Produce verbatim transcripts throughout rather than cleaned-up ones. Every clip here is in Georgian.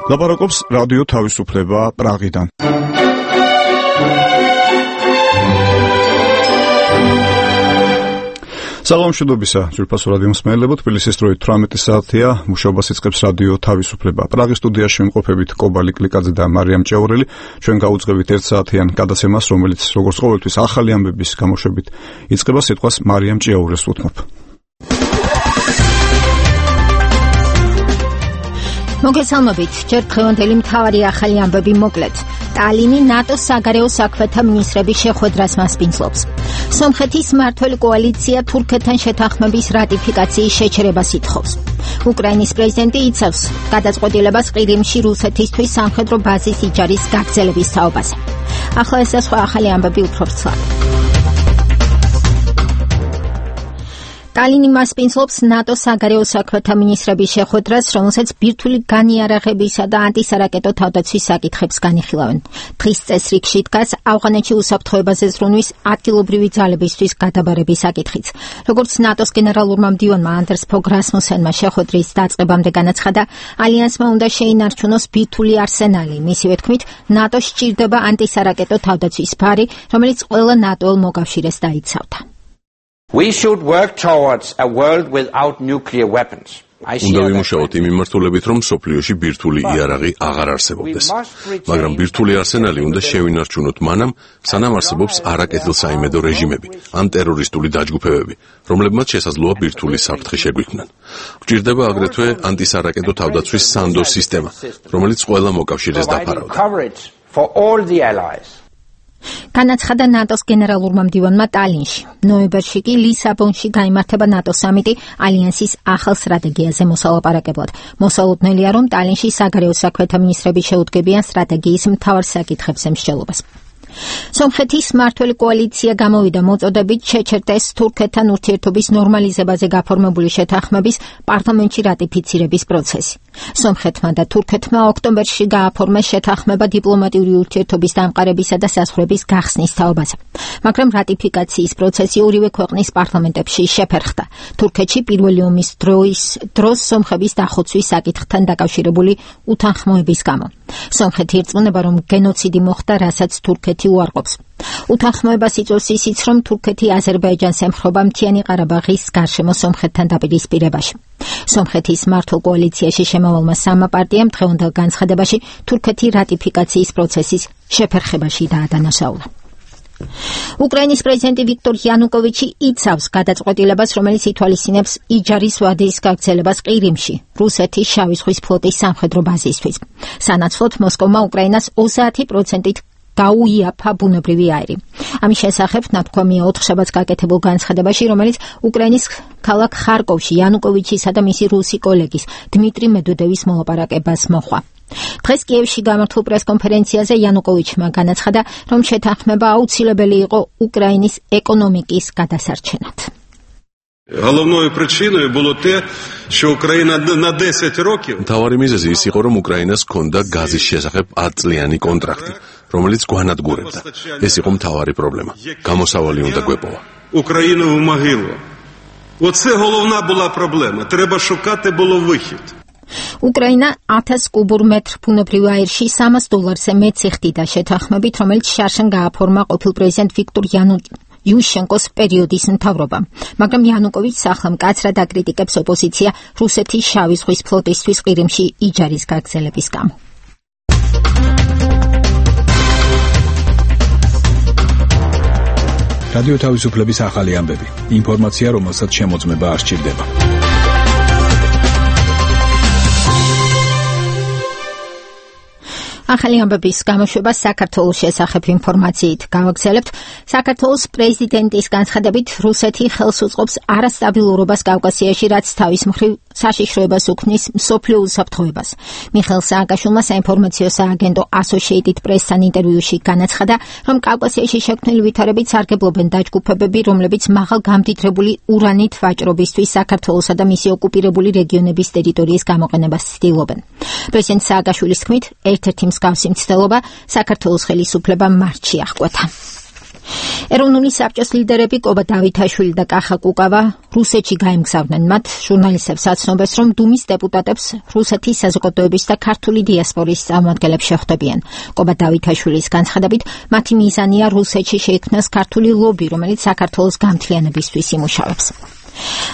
ლაპარაკობს რადიო თავისუფლება პრაღიდან. საღამოშობისა, ძვირფასო რადიო მსმენელებო, თბილისის დროით თვრამეტი საათია, მუშაობას იწყებს რადიო თავისუფლება. პრაღის სტუდიაში ვიმყოფებით კობალი კლიკაძე და მარიამ ჭეურელი. ჩვენ გაუძღებით ერთ საათიან გადაცემას, რომელიც როგორც ყოველთვის ახალი ამბების გამოშვებით იწყება. სიტყვას მარიამ ჭეურელს ვუთმობ. მოგესალმებით, ჯერ დღევანდელი მთავარი ახალი ამბები მოკლედ. ტალინი ნატოს საგარეო საქმეთა მინისტრების შეხვედრას მასპინძლობს. სომხეთის მმართველი კოალიცია თურქეთთან შეთანხმების რატიფიკაციის შეჩერებას ითხოვს. უკრაინის პრეზიდენტი იცავს გადაწყვეტილებას ყირიმში რუსეთისთვის სამხედრო ბაზის იჯარის გაგრძელების თაობაზე. ახლა ეს და სხვა ახალი ამბები უფრო ვრცლად. ტალინი მასპინძლობს ნატოს საგარეო საქმეთა მინისტრების შეხვედრას, რომელსაც ბირთვული განიარაღებისა და ანტისარაკეტო თავდაცვის საკითხებს განიხილავენ. დღის წესრიგში დგას ავღანეთში უსაფრთხოებაზე ზრუნვის ადგილობრივი ძალებისთვის გადაბარების საკითხიც. როგორც ნატოს გენერალურმა მდივანმა ანდერს ფოგ რასმუსენმა შეხვედრის დაწყებამდე განაცხადა, ალიანსმა უნდა შეინარჩუნოს ბირთვული არსენალი. მისივე თქმით, ნატო სჭირდება ანტისარაკეტო თავდაცვის ფარი, რომელიც ყველა ნატოელ მოკავშირეს დაიცავდა. We should work towards a world without nuclear weapons. უნდა ვიმუშაოთ იმ მიმართულებით, რომ სოფლიოში ბირთვული იარაღი აღარ არსებობდეს. მაგრამ ბირთვული არსენალი უნდა შევინარჩუნოთ მანამ, სანამ არსებობს არაკეთილსაიმედო რეჟიმები ან ტერორისტული დაჯგუფებები, რომლებმაც შესაძლოა ბირთვული საფრთხე შეგვიქმნან. გვჭირდება აგრეთვე ანტისარაკეტო თავდაცვის სანდოს სისტემა, რომელიც ყველა მოკავშირეს დაფარავდა. განაცხადა ნატოს გენერალურმა მდივანმა ტალინში. ნოემბერში კი ლისაბონში გაიმართება ნატოს სამიტი ალიანსის ახალ სტრატეგიაზე მოსალაპარაკებლად. მოსალოდნელია, რომ ტალინში საგარეო საქმეთა მინისტრები შეუდგებიან სტრატეგიის მთავარ საკითხებზე მსჯელობას. სომხეთის მმართველი კოალიცია გამოვიდა მოწოდებით შეჩერდეს თურქეთთან ურთიერთობის ნორმალიზებაზე გაფორმებული შეთანხმების პარლამენტში რატიფიცირების პროცესი. სომხეთმა და თურქეთმა ოქტომბერში გააფორმეს შეთანხმება დიპლომატიური ურთიერთობის დამყარებისა და საზღვრების გახსნის თაობაზე. მაგრამ რატიფიკაციის პროცესი ორივე ქვეყნის პარლამენტებში შეფერხდა. თურქეთში პირველი ომის დროის დროს სომხების დახოცვის საკითხთან დაკავშირებული უთანხმოების გამო. სომხეთი ირწმუნება, რომ გენოციდი მოხდა, რასაც თურქეთი უარყოფს. უთანხმოებას იწვევს ისიც, რომ თურქეთი აზერბაიჯანს ემხრობა მთიანი ყარაბაღის გარშემო სომხეთთან დაპირისპირებაში. სომხეთის მმართველ კოალიციაში შემავალმა სამმა პარტიამ დღევანდელ განცხადებაში თურქეთი რატიფიკაციის პროცესის შეფერხებაში დაადანაშაულა. უკრაინის პრეზიდენტი ვიქტორ იანუკოვიჩი იცავს გადაწყვეტილებას, რომელიც ითვალისწინებს იჯარის ვადის გაგრძელებას ყირიმში, რუსეთის შავი ზღვის ფლოტის სამხედრო ბაზისთვის. სანაცვლოდ მოსკოვმა უკრაინას ოცდაათი პროცენტით გაუიაფა ბუნებრივი აირი. ამის შესახებ ნათქვამია ოთხშაბათს გაკეთებულ განცხადებაში, რომელიც უკრაინის ქალაქ ხარკოვში იანუკოვიჩისა და მისი რუსი კოლეგის დმიტრი მედვედევის მოლაპარაკებას მოჰყვა. დღეს კიევში გამართულ პრესკონფერენციაზე იანუკოვიჩმა განაცხადა, რომ შეთანხმება აუცილებელი იყო უკრაინის ეკონომიკის გადასარჩენად. Головною причиною було те, що Україна на десять років მთავარი მიზეზი ის იყო, რომ უკრაინას ჰქონდა გაზის შესახებ ათწლიანი კონტრაქტი, რომელიც გვანადგურებდა. ეს იყო მთავარი პრობლემა. გამოსავალი უნდა გვეპოვა. Україну в могилу. Оце головна була проблема. Треба шукати було вихід. უკრაინა ათას კუბურ მეტრ ბუნებრივ აირში სამას დოლარზე მეც იხდიდა შეთანხმებით, რომელიც შარშან გააფორმა ყოფილ პრეზიდენტ ვიქტორ იანუშენკოს პერიოდის მთავრობა. მაგრამ იანუკოვიჩს ახლა მკაცრად აკრიტიკებს ოპოზიცია რუსეთის შავი ზღვის ფლოტისთვის ყირიმში იჯარის გაგრძელების გამო. რადიო თავისუფლების ახალი ამბები. ინფორმაცია, რომელსაც შემოწმება არ სჭირდება. ახალი ამბების გამოშვება საქართველოს შესახებ ინფორმაციით გავაგრძელებთ. საქართველოს პრეზიდენტის განცხადებით, რუსეთი ხელს უწყობს არასტაბილურობას კავკასიაში, რაც თავის მხრივ საშიშროებას უქმნის მსოფლიო უსაფრთხოებას. მიხეილ სააკაშვილმა საინფორმაციო სააგენტო Associated Press-თან ინტერვიუში განაცხადა, რომ კავკასიაში შექმნილი ვითარებით სარგებლობენ დაჯგუფებები, რომლებიც მაღალ გამდიდრებული ურანით ვაჭრობისთვის საქართველოსა და მისი ოკუპირებული რეგიონების ტერიტორიის გამოყენებას ცდილობენ. პრეზიდენტ სააკაშვილის თქმით, ერთ-ერთი მსგავსი მცდელობა საქართველოს ხელისუფლებამ მარტში აღკვეთა. ეროვნული საბჭოს ლიდერები კობა დავითაშვილი და კახა კუკავა რუსეთში გაემგზავნեն. მათ ჟურნალისტებს აცნობეს, რომ დუმის დეპუტატებს რუსეთის საზოგადოების და ქართული დიასპორის წარმომადგენლებს შეხვდებიან. კობა დავითაშვილის განცხადებით, მათი მიზანია რუსეთში შეიქმნას ქართული ლობი, რომელიც საქართველოს გამთლიანებისთვის იმუშავებს.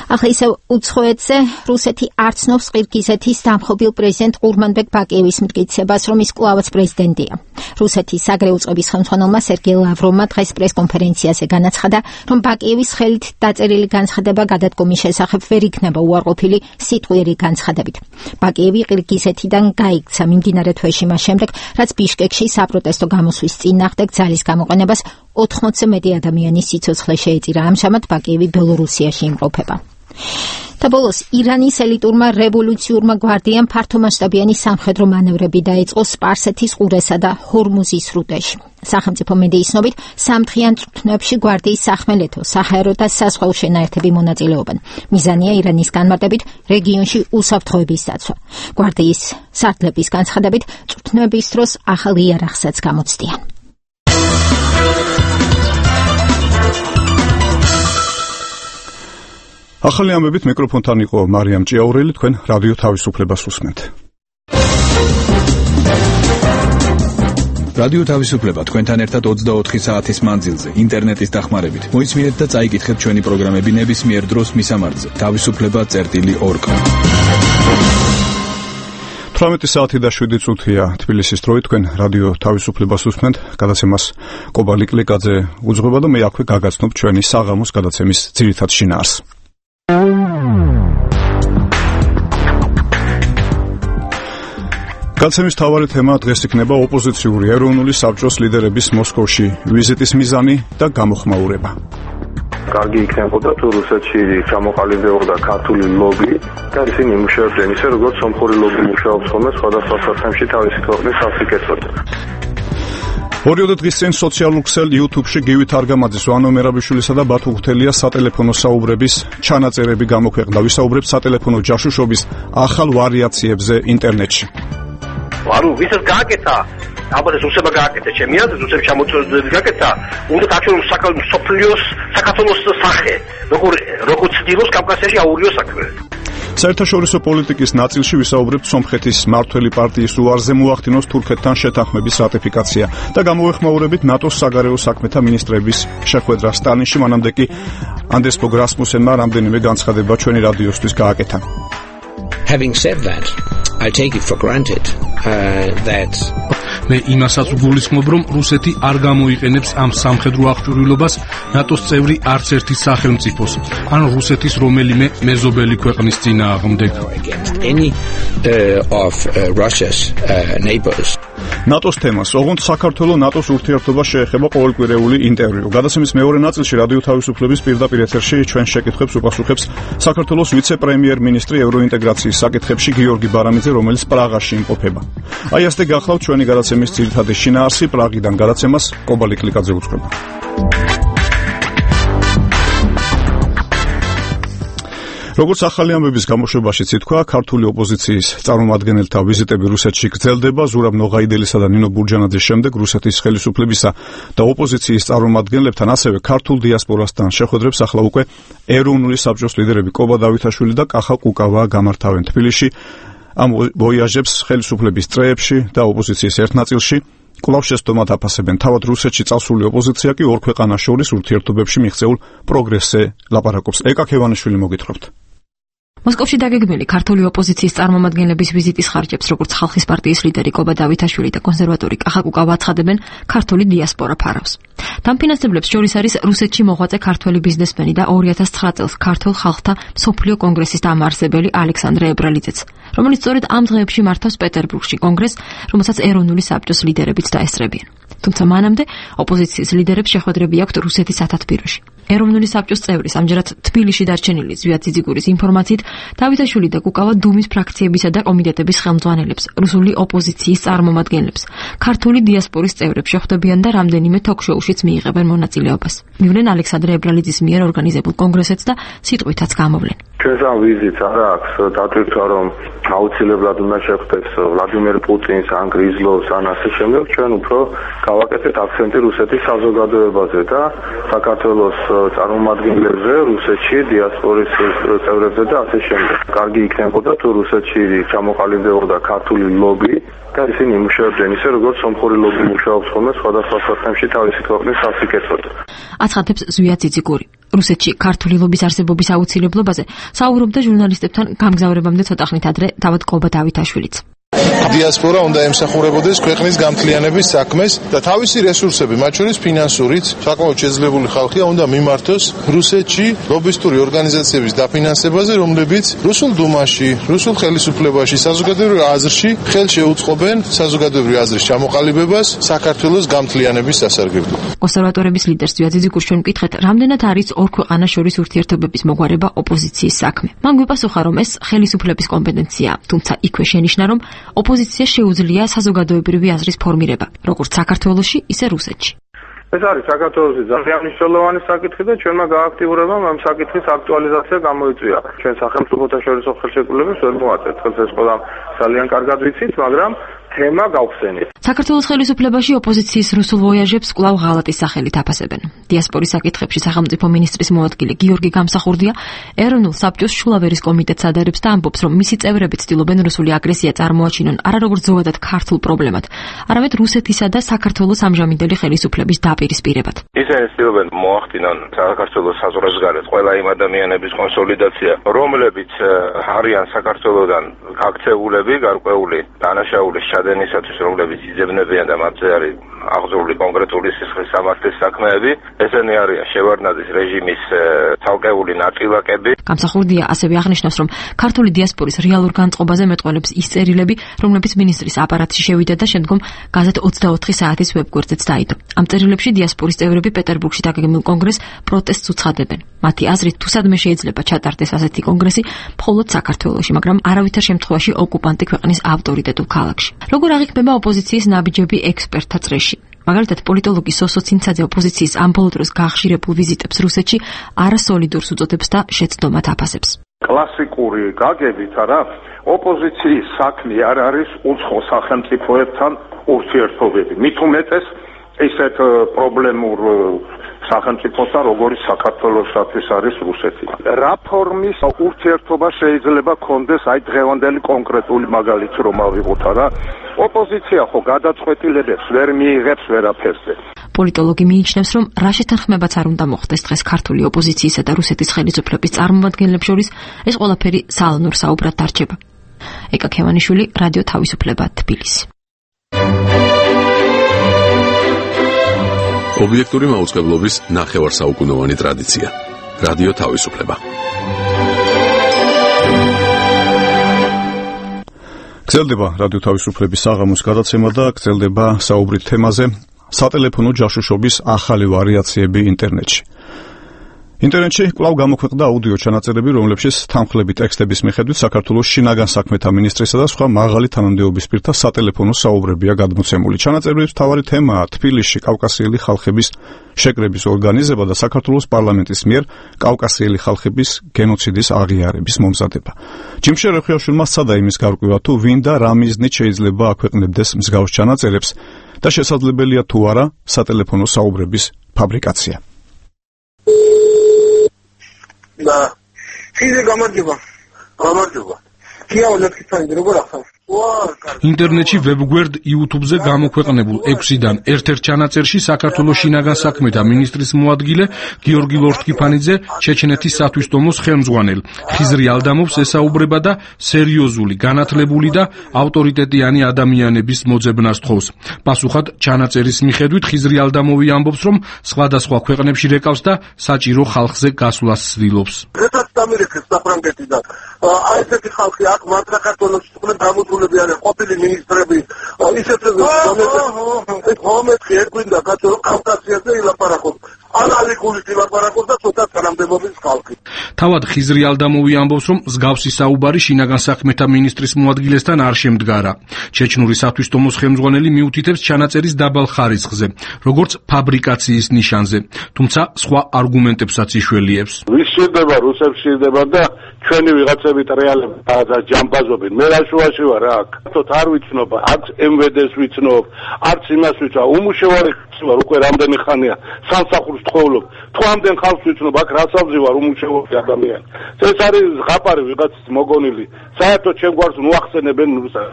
ახლა ისევ უცხოეთზე რუსეთი არ ცნობს ყირგიზეთის დამხობილ პრეზიდენტ ყურმანბეკ ბაკიევის მტკიცებას, რომ ის კვლავაც პრეზიდენტია. რუსეთის საგრეო წყობის ხელმძღვანელმა სერგეი ლავროვმა დღეს პრესკონფერენციაზე განაცხადა, რომ ბაკიევის ხელით დაწერილი განცხადება გადადგომის შესახებ ვერ იქნება უარყოფილი სიტყვიერი განცხადებით. ბაკიევი ყირგიზეთიდან გაიქცა მიმდინარე თვეში მას შემდეგ, რაც ბიშკეკში საპროტესტო გამოსვლის წინააღმდეგ ძალის გამოყენებას ოთხმოცზე მეტი ადამიანის სიცოცხლე შეეწირა. ამჟამად ბაკიევი ბელორუსიაში იმყოფება. და ბოლოს ირანის ელიტურმა რევოლუციურმა გვარდიამ ფართომასშტაბიანი სამხედრო მანევრები დაიწყო სპარსეთის ყურესა და ჰორმუზის სრუტეში. სახელმწიფო მედიის ცნობით, სამდღიან წვრთნებში გვარდიის სახმელეთო, საჰაერო და საზღვაო შენაერთები მონაწილეობენ. მიზანია ირანის განმარტებით რეგიონში უსაფრთხოების დაცვა. გვარდიის სარდლების განცხადებით, წვრთნების დროს ახალ იარაღსაც გამოცდიან. ახალი ამბებით მიკროფონთან იყო მარიამ ჭიაურელი, თქვენ რადიო თავისუფლებას უსმენთ. რადიო თავისუფლება თქვენთან ერთად ოცდაოთხი საათის მანძილზე ინტერნეტის დახმარებით. მოისმინეთ და წაიკითხეთ ჩვენი პროგრამები ნებისმიერ დროს მისამართზე თავისუფლება წერტილი ორ კა. თვრამეტი საათი და შვიდი წუთია თბილისის დროით, თქვენ რადიო თავისუფლებას უსმენთ. გადაცემას კობა ლიკლიკაძე უძღვება და მე აქვე გაგაცნობ ჩვენი საღამოს გადაცემის ძირითად შინაარს. გადაცემის მთავარი თემა დღეს იქნება ოპოზიციური ეროვნული საბჭოს ლიდერების მოსკოვში ვიზიტის მიზანი და გამოხმაურება. კარგი იქნებოდა თუ რუსეთში ჩამოყალიბებოდა ქართული ლობი და ისინი იმუშავებდნენ ისე, როგორც სომხური ლობი მუშაობს ხოლმე სხვადასხვა საქმეში თავისი ქვეყნის საფრიკეთად. ორიოდე დღის წინ სოციალურ ქსელ YouTube-ში გივით არგამაძის, ვანო მერაბიშვილისა და ბათუ ღვთელიას სატელეფონო საუბრების ჩანაწერები გამოქვეყნდა. ვისაუბრებთ სატელეფონო ჯაშუშობის ახალ ვარიაციებზე ინტერნეტში. ვარო, ვისაც გააკეთა, ალბათ ეს რუსებმა გააკეთა, ჩემი აზრით, რუსებს ჩამოწოდებს გააკეთა, უნდა დაჩვენოს საქართველოს საქართველოს სახე, როგორ როგორ ცდილობს კავკასიაში აურიო საქმე. საერთაშორისო პოლიტიკის ნაწილში ვისაუბრებთ სომხეთის მმართველი პარტიის უარზე მოახდინოს თურქეთთან შეთანხმების რატიფიკაცია და გამოეხმაურებით ნატოს საგარეო საქმეთა მინისტრების შეხვედრა სტალინში. მანამდე კი ანდრეს ბოგ რასმუსენმა რამდენიმე განცხადება ჩვენი რადიოსთვის გააკეთა. Having said that, I take it for granted uh, that მე იმასაც ვგულისხმობ, რომ რუსეთი არ გამოიყენებს ამ სამხედრო აღჭურვილობას ნატოს წევრი არც ერთი სახელმწიფოს, ან რუსეთის რომელიმე მეზობელი ქვეყნის წინააღმდეგ. any uh, of uh, Russia's uh, neighbors. ნატოს თემას, ოღონდ საქართველოს ნატოს ურთიერთობა შეეხება ყოველკვირეული ინტერვიუ. გადაცემის მეორე ნაწილში რადიო თავისუფლების პირდაპირ ეთერში ჩვენ შეკითხვებს უპასუხებს საქართველოს ვიცე-პრემიერ-მინისტრი ევროინტეგრაციის საკითხებში გიორგი ბარამიძე, რომელიც პრაღაში იმყოფება. აი ასე გახლავთ ჩვენი გადაცემის ძირითადი შინაარსი. პრაღიდან გადაცემას კობა ლიკლიკაძე უძღვება. როგორც ახალი ამბების გამოშვებაშიც ითქვა, ქართული ოპოზიციის წარმომადგენელთა ვიზიტები რუსეთში გრძელდება. ზურაბ ნოღაიდელისა და ნინო ბურჯანაძის შემდეგ რუსეთის ხელისუფლებისა და ოპოზიციის წარმომადგენლებთან, ასევე ქართულ დიასპორასთან შეხვედრებს ახლა უკვე ეროვნული საბჭოს ლიდერები კობა დავითაშვილი და კახა კუკავა გამართავენ თბილისში. ამ ვოიაჟებს ხელისუფლების წრეებში და ოპოზიციის ერთ ნაწილში კვლავ შეცდომად აფასებენ. თავად რუსეთში წასული ოპოზიცია კი ორ ქვეყანას შორის ურთიერთობებში მიღწეულ პროგრესზე ლაპარაკობს. ეკა ქევანიშვილი მოგითხრობთ. მოსკოვში დაგეგმილი ქართული ოპოზიციის წარმომადგენლების ვიზიტის ხარჯებს, როგორც ხალხის პარტიის ლიდერი კობა დავითაშვილი და კონსერვატორი კახა კუკავა აცხადებენ, ქართული დიასპორა ფარავს. დამფინანსებლებს შორის არის რუსეთში მოღვაწე ქართველი ბიზნესმენი და ორი ათას ცხრა წელს ქართულ ხალხთა მსოფლიო კონგრესის დამაარსებელი ალექსანდრე ებრალიძეც, რომელიც სწორედ ამ დღეებში მართავს პეტერბურგში კონგრესს, რომელსაც ეროვნული საბჭოს ლიდერებიც დაესწრებიან. თუმცა მანამდე ოპოზიციის ლიდერებს შეხვედრები აქვთ რუსეთის ათათბიროში. ეროვნული საბჭოს წევრის ამჯერად თბილისში დარჩენილი ზვიად ძიძიგურის ინფორმაციით დავითაშვილი და კუკავა დუმის ფრაქციებისა და კომიტეტების ხელმძღვანელებს, რუსული ოპოზიციის წარმომადგენლებს, ქართული დიასპორის წევრებს შეხვდებიან და რამდენიმე თოქ-შოუშიც მიიღებენ მონაწილეობას. მივნენ ალექსანდრე ებრალიძის მიერ ორგანიზებულ კონგრესეთს და სიტყვითაც გამოვლენ. ჩვენს ამ ვიზიტს არ აქვს დატვირთვა, რომ აუცილებლად უნდა შეხვდეს ვლადიმერ პუტინს, ან გრიზლოვს, ან ასე შემდეგ. ჩვენ უფრო გავაკეთეთ აქცენტი რუსეთის საზოგადოებაზე და საქართველოს წარმომადგენლებზე, რუსეთში დიასპორის წევრებზე და ასე შემდეგ. კარგი იქნებოდა თუ რუსეთში ჩამოყალიბდებოდა ქართული ლობი და ისინი იმუშავებდნენ ისე, როგორც სომხური ლობი მუშაობს ხოლმე სხვადასხვა ქვეყნებში თავისი ქვეყნის სასიკეთოდ. აცხადებს ზვიად ძიძიგური. რუსეთში ქართული ლობის არსებობის აუცილებლობაზე საუბრობდა ჟურნალისტებთან გამგზავრებამდე ცოტა ხნით ადრე თავად კობა დავითაშვილიც. დიასპორა უნდა ემსახურებოდეს ქვეყნის გამთლიანების საქმეს და თავისი რესურსები, მათ შორის ფინანსურით, საკმაოდ შეძლებული ხალხია უნდა მიმართოს რუსეთში ლობისტური ორგანიზაციების დაფინანსებაზე, რომლებიც რუსულ დუმაში, რუსულ ხელისუფლებაში, საზოგადოებრივ აზრში ხელს შეუწყობენ საზოგადოებრივ აზრის ჩამოყალიბებას საქართველოს გამთლიანების სასარგებლოდ. კონსერვატორების ლიდერს ზვიად ძიძიგურს ჩვენ ვკითხეთ, რამდენად არის ორ ქვეყანას შორის ურთიერთობების მოგვარება ოპოზიციის საქმე. მან გვიპასუხა, რომ ეს ხელისუფლების კომპეტენციაა, თუმცა იქვე შენიშნა, რომ ოპოზიციას შეუძლია საზოგადოებრივი აზრის ფორმირება, როგორც საქართველოში, ისე რუსეთში. ეს არის საქართველოს ძალიან მნიშვნელოვანი საკითხი და ჩვენმა გააქტიურებამ ამ საკითხის აქტუალიზაცია გამოიწვია. ჩვენ სახელმწიფოთა შორისო ხელშეკრულებას ვერ მოაწევთ, ეს ყველა ძალიან კარგად ვიცით, მაგრამ თემა გავხსენით. საქართველოს ხელისუფლებაში ოპოზიციის რუსულ ვოიაჟებს კვლავ ღალატის სახელით აფასებენ. დიასპორის საკითხებში სახელმწიფო მინისტრის მოადგილე გიორგი გამსახურდია ეროვნულ საბჭოს შულავერის კომიტეტს ადარებს და ამბობს, რომ მისი წევრები ცდილობენ რუსული აგრესია წარმოაჩინონ არა როგორც ზოგადად ქართულ პრობლემად, არამედ რუსეთისა და საქართველოს ამჟამინდელი ხელისუფლების დაპირისპირებად. ისინი ცდილობენ მოახდინონ საქართველოს საზღვრებს გარეთ ყველა იმ ადამიანების კონსოლიდაცია, რომლებიც არიან საქართველოსთან გაქცეულები, გარკვეული დანაშაულის ჩადენისათვის, რომლებიც იძებნებიან და მათზე არის აღძრული კონკრეტული სისხლის სამართლის საქმეები, ესენი არიან შევარდნაძის რეჟიმის ცალკეული ნაწილაკები. გამსახურდია ასევე აღნიშნავს, რომ ქართული დიასპორის რეალურ განწყობაზე მეტყველებს ის წერილები, რომლებიც მინისტრის აპარატში შევიდა და შემდგომ გაზეთ ოცდაოთხი საათის ვებგვერდზეც დაიდო. ამ წერილებში დიასპორის წევრები პეტერბურგში დაგეგმილ კონგრესს პროტესტს უცხადებენ. მათი აზრით, თუ სადმე შეიძლება ჩატარდეს ასეთი კონგრესი, მხოლოდ საქართველოში, მაგრამ არავითარ შემთხვევაში ოკუპანტი ქვეყნის ავტორიტეტულ ქალაქში. როგორ აღიქმება ოპოზიციის ნაბიჯები ექსპერტთა წრეში? მაგალითად, პოლიტოლოგი სოსო ცინცაძე ოპოზიციის ამ ბოლო დროს გახშირებულ ვიზიტებს რუსეთში არასოლიდურს უწოდებს და შეცდომად აფასებს. კლასიკური გაგებით არა, ოპოზიციის საქმე არ არის უცხო სახელმწიფოებთან ურთიერთობები. მით უმეტეს ისეთ პრობლემურ სახელმწიფოსთან, როგორც საქართველოსთვის არის რუსეთი. რა ფორმის ურთიერთობა შეიძლება კონდეს აი დღევანდელი კონკრეტული მაგალითი რომ ავიღოთ არა? ოპოზიცია ხო გადაწყვეტილებებს ვერ მიიღებს ვერაფერზე. პოლიტოლოგი მიიჩნევს, რომ რა შეთანხმებაც არ უნდა მოხდეს დღეს ქართული ოპოზიციისა და რუსეთის ხელისუფლების წარმომადგენლებს შორის, ეს ყველაფერი სალონურ საუბრად დარჩება. ეკა ქევანიშვილი, რადიო თავისუფლება, თბილისი. ობიექტური მაუწყებლობის ნახევარსაუკუნოვანი ტრადიცია. რადიო თავისუფლება. გრძელდება რადიო თავისუფლების საღამოს გადაცემა და გრძელდება საუბრით თემაზე სატელეფონო ჯაშუშობის ახალი ვარიაციები ინტერნეტში. ინტერნეტში კვლავ გამოქვეყნდა აუდიო ჩანაწერები, რომლებშიც თანხლები ტექსტების მიხედვით საქართველოს შინაგან საქმეთა მინისტრისა და სხვა მაღალი თანამდებობის პირთა სატელეფონო საუბრებია გადმოცემული. ჩანაწერების მთავარი თემაა თბილისში კავკასიელი ხალხების შეკრების ორგანიზება და საქართველოს პარლამენტის მიერ კავკასიელი ხალხების გენოციდის აღიარების მომზადება. ჯიმშე რეხიაშვილმა სცადა იმის გარკვევა, თუ ვინ და რა მიზნით შეიძლება აქვეყნებდეს მსგავს ჩანაწერებს და შესაძლებელია თუ არა სატელეფონო საუბრების ფაბრიკაცია. და ფიზე გამარჯობა. გამარჯობა. კი აოლექსანდრე როგორ ახსოვს? ინტერნეტში ვებგვერდ YouTube-ზე გამოქვეყნებულ ექვსიდან ერთ-ერთ ჩანაწერში საქართველოს შინაგან საქმეთა მინისტრის მოადგილე გიორგი ლორთქიფანიძე ჩეჩნეთის სათვისტომოს ხელმძღვანელ ხიზრი ალდამოვს ესაუბრება და სერიოზული, განათლებული და ავტორიტეტიანი ადამიანების მოძებნას თხოვს. პასუხად ჩანაწერის მიხედვით ხიზრი ალდამოვი ამბობს, რომ სხვადასხვა ქვეყნებში რეკავს და საჭირო ხალხზე გასვლას ცდილობს. როდესაც ამერიკის საფრანგეთი და აი ესეთი ხალხი აქ მათ საქართველოში თქვენ გამოსულებიან ყოფილი მინისტრები ისეთ მომენტში ერგვინდა კაცო კავკასიაზე ილაპარაკობ. ანალიკული დილაპარაკობს და ცოტა თანამდებობის ხალხი. თავად ხიზრი ალდამოვი ამბობს, რომ მსგავსი საუბარი შინაგან საქმეთა მინისტრის მოადგილესთან არ შემდგარა. ჩეჩნური სათვისტომოს ხელმძღვანელი მიუთითებს ჩანაწერის დაბალ ხარისხზე, როგორც ფაბრიკაციის ნიშანზე, თუმცა სხვა არგუმენტებსაც იშველიებს. ვის სჭირდება, რუსებს სჭირდება და ჩვენი ვიღაცებით რეალება და ჯამბაზობენ. მე რა შუაში ვარ რა აქ. თოთ არ ვიცნობ, არც ემ ვე დე-ს ვიცნობ, არც იმას ვიცნობ. უმუშევარი ხარ უკვე რამდენი ხანია სამსახურს თხოვლობ. თუ ამდენ ხალხს ვიცნობ, აქ რაცავზე ვარ უმუშევარი ადამიანი. ეს არის ზღაპარი ვიღაცის მოგონილი. საერთოდ ჩემ გვარს მოახსენებენ რუსა.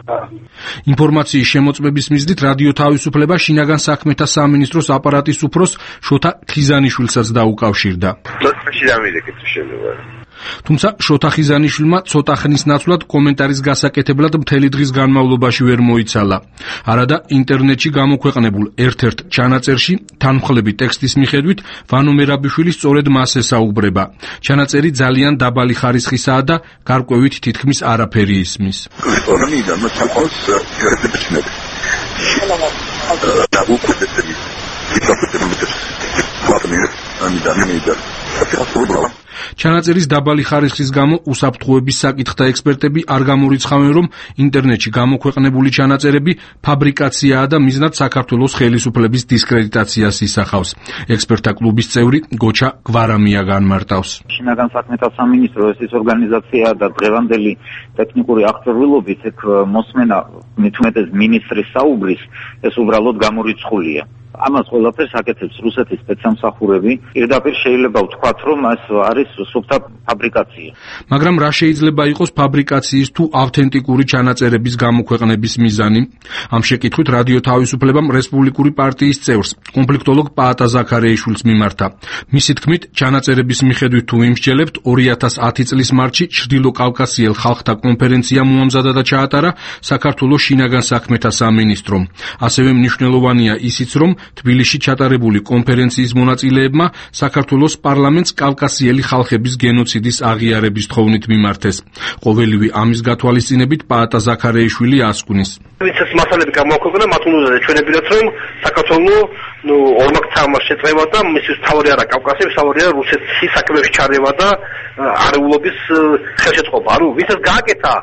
ინფორმაციის შემოწმების მიზნით რადიო თავისუფლება შინაგან საქმეთა სამინისტროს აპარატის უფროს შოთა ხიზანიშვილსაც დაუკავშირდა. თუმცა შოთა ხიზანიშვილმა ცოტა ხნის ნაცვლად კომენტარის გასაკეთებლად მთელი დღის განმავლობაში ვერ მოიცალა. არადა ინტერნეტში გამოქვეყნებულ ერთ-ერთ ჩანაწერში თანმხლები ტექსტის მიხედვით ვანო მერაბიშვილი სწორედ მას ესაუბრება. ჩანაწერი ძალიან დაბალი ხარისხისაა და გარკვევით თითქმის არაფერი ისმის. ჩანაწერის დაბალი ხარისხის გამო უსაფრთხოების საკითხთა ექსპერტები არ გამორიცხავენ, რომ ინტერნეტში გამოქვეყნებული ჩანაწერები ფაბრიკაციაა და მიზნად საქართველოს ხელისუფლების დისკრედიტაციას ისახავს. ექსპერტთა კლუბის წევრი გოჩა გვარამია განმარტავს. შინაგან საქმეთა სამინისტრო ეს ორგანიზაცია და დღევანდელი ტექნიკური აღჭურვილობით ეგ მოსმენა მithumetes მინისტრის საუბრის ეს უბრალოდ გამორიცხულია. ამას ყველაფერს აკეთებს რუსეთის სპეცსამსახურები. პირდაპირ შეიძლება ვთქვათ, რომ ეს არის სუფთა ფაბრიკაცია. მაგრამ რა შეიძლება იყოს ფაბრიკაციის თუ ავთენტიკური ჩანაწერების გამოქვეყნების მიზანი? ამ შეკითხვით რადიო თავისუფლებამ რესპუბლიკური პარტიის წევრს, კონფლიქტოლოგ პაატა ზაქარეიშვილს მიმართა. მისი თქმით, ჩანაწერების მიხედვით თუ ვიმსჯელებთ, ორი ათას ათი წლის მარტში ჩრდილო კავკასიელ ხალხთა კონფერენცია მოამზადა და ჩაატარა საქართველოს შინაგან საქმეთა სამინისტრომ. ასევე მნიშვნელოვანია ისიც, რომ თბილისში ჩატარებული კონფერენციის მონაწილეებმა საქართველოს პარლამენტს კავკასიელი ხალხების გენოციდის აღიარების თხოვნით მიმართეს. ყოველივე ამის გათვალისწინებით პაატა ზაქარეიშვილი ასკვნის. ეს მასალები გამოაქვეყნა მათ უნდა ჩვენებიათ, რომ საქართველოს ნუ ორმაგცამა შეწევა და მისი თავი არა კავკასიის, თავი არა რუსეთის საქმეებში ჩარევა და არეულობის ხელშეწყობა. ანუ ვისაც გააკეთა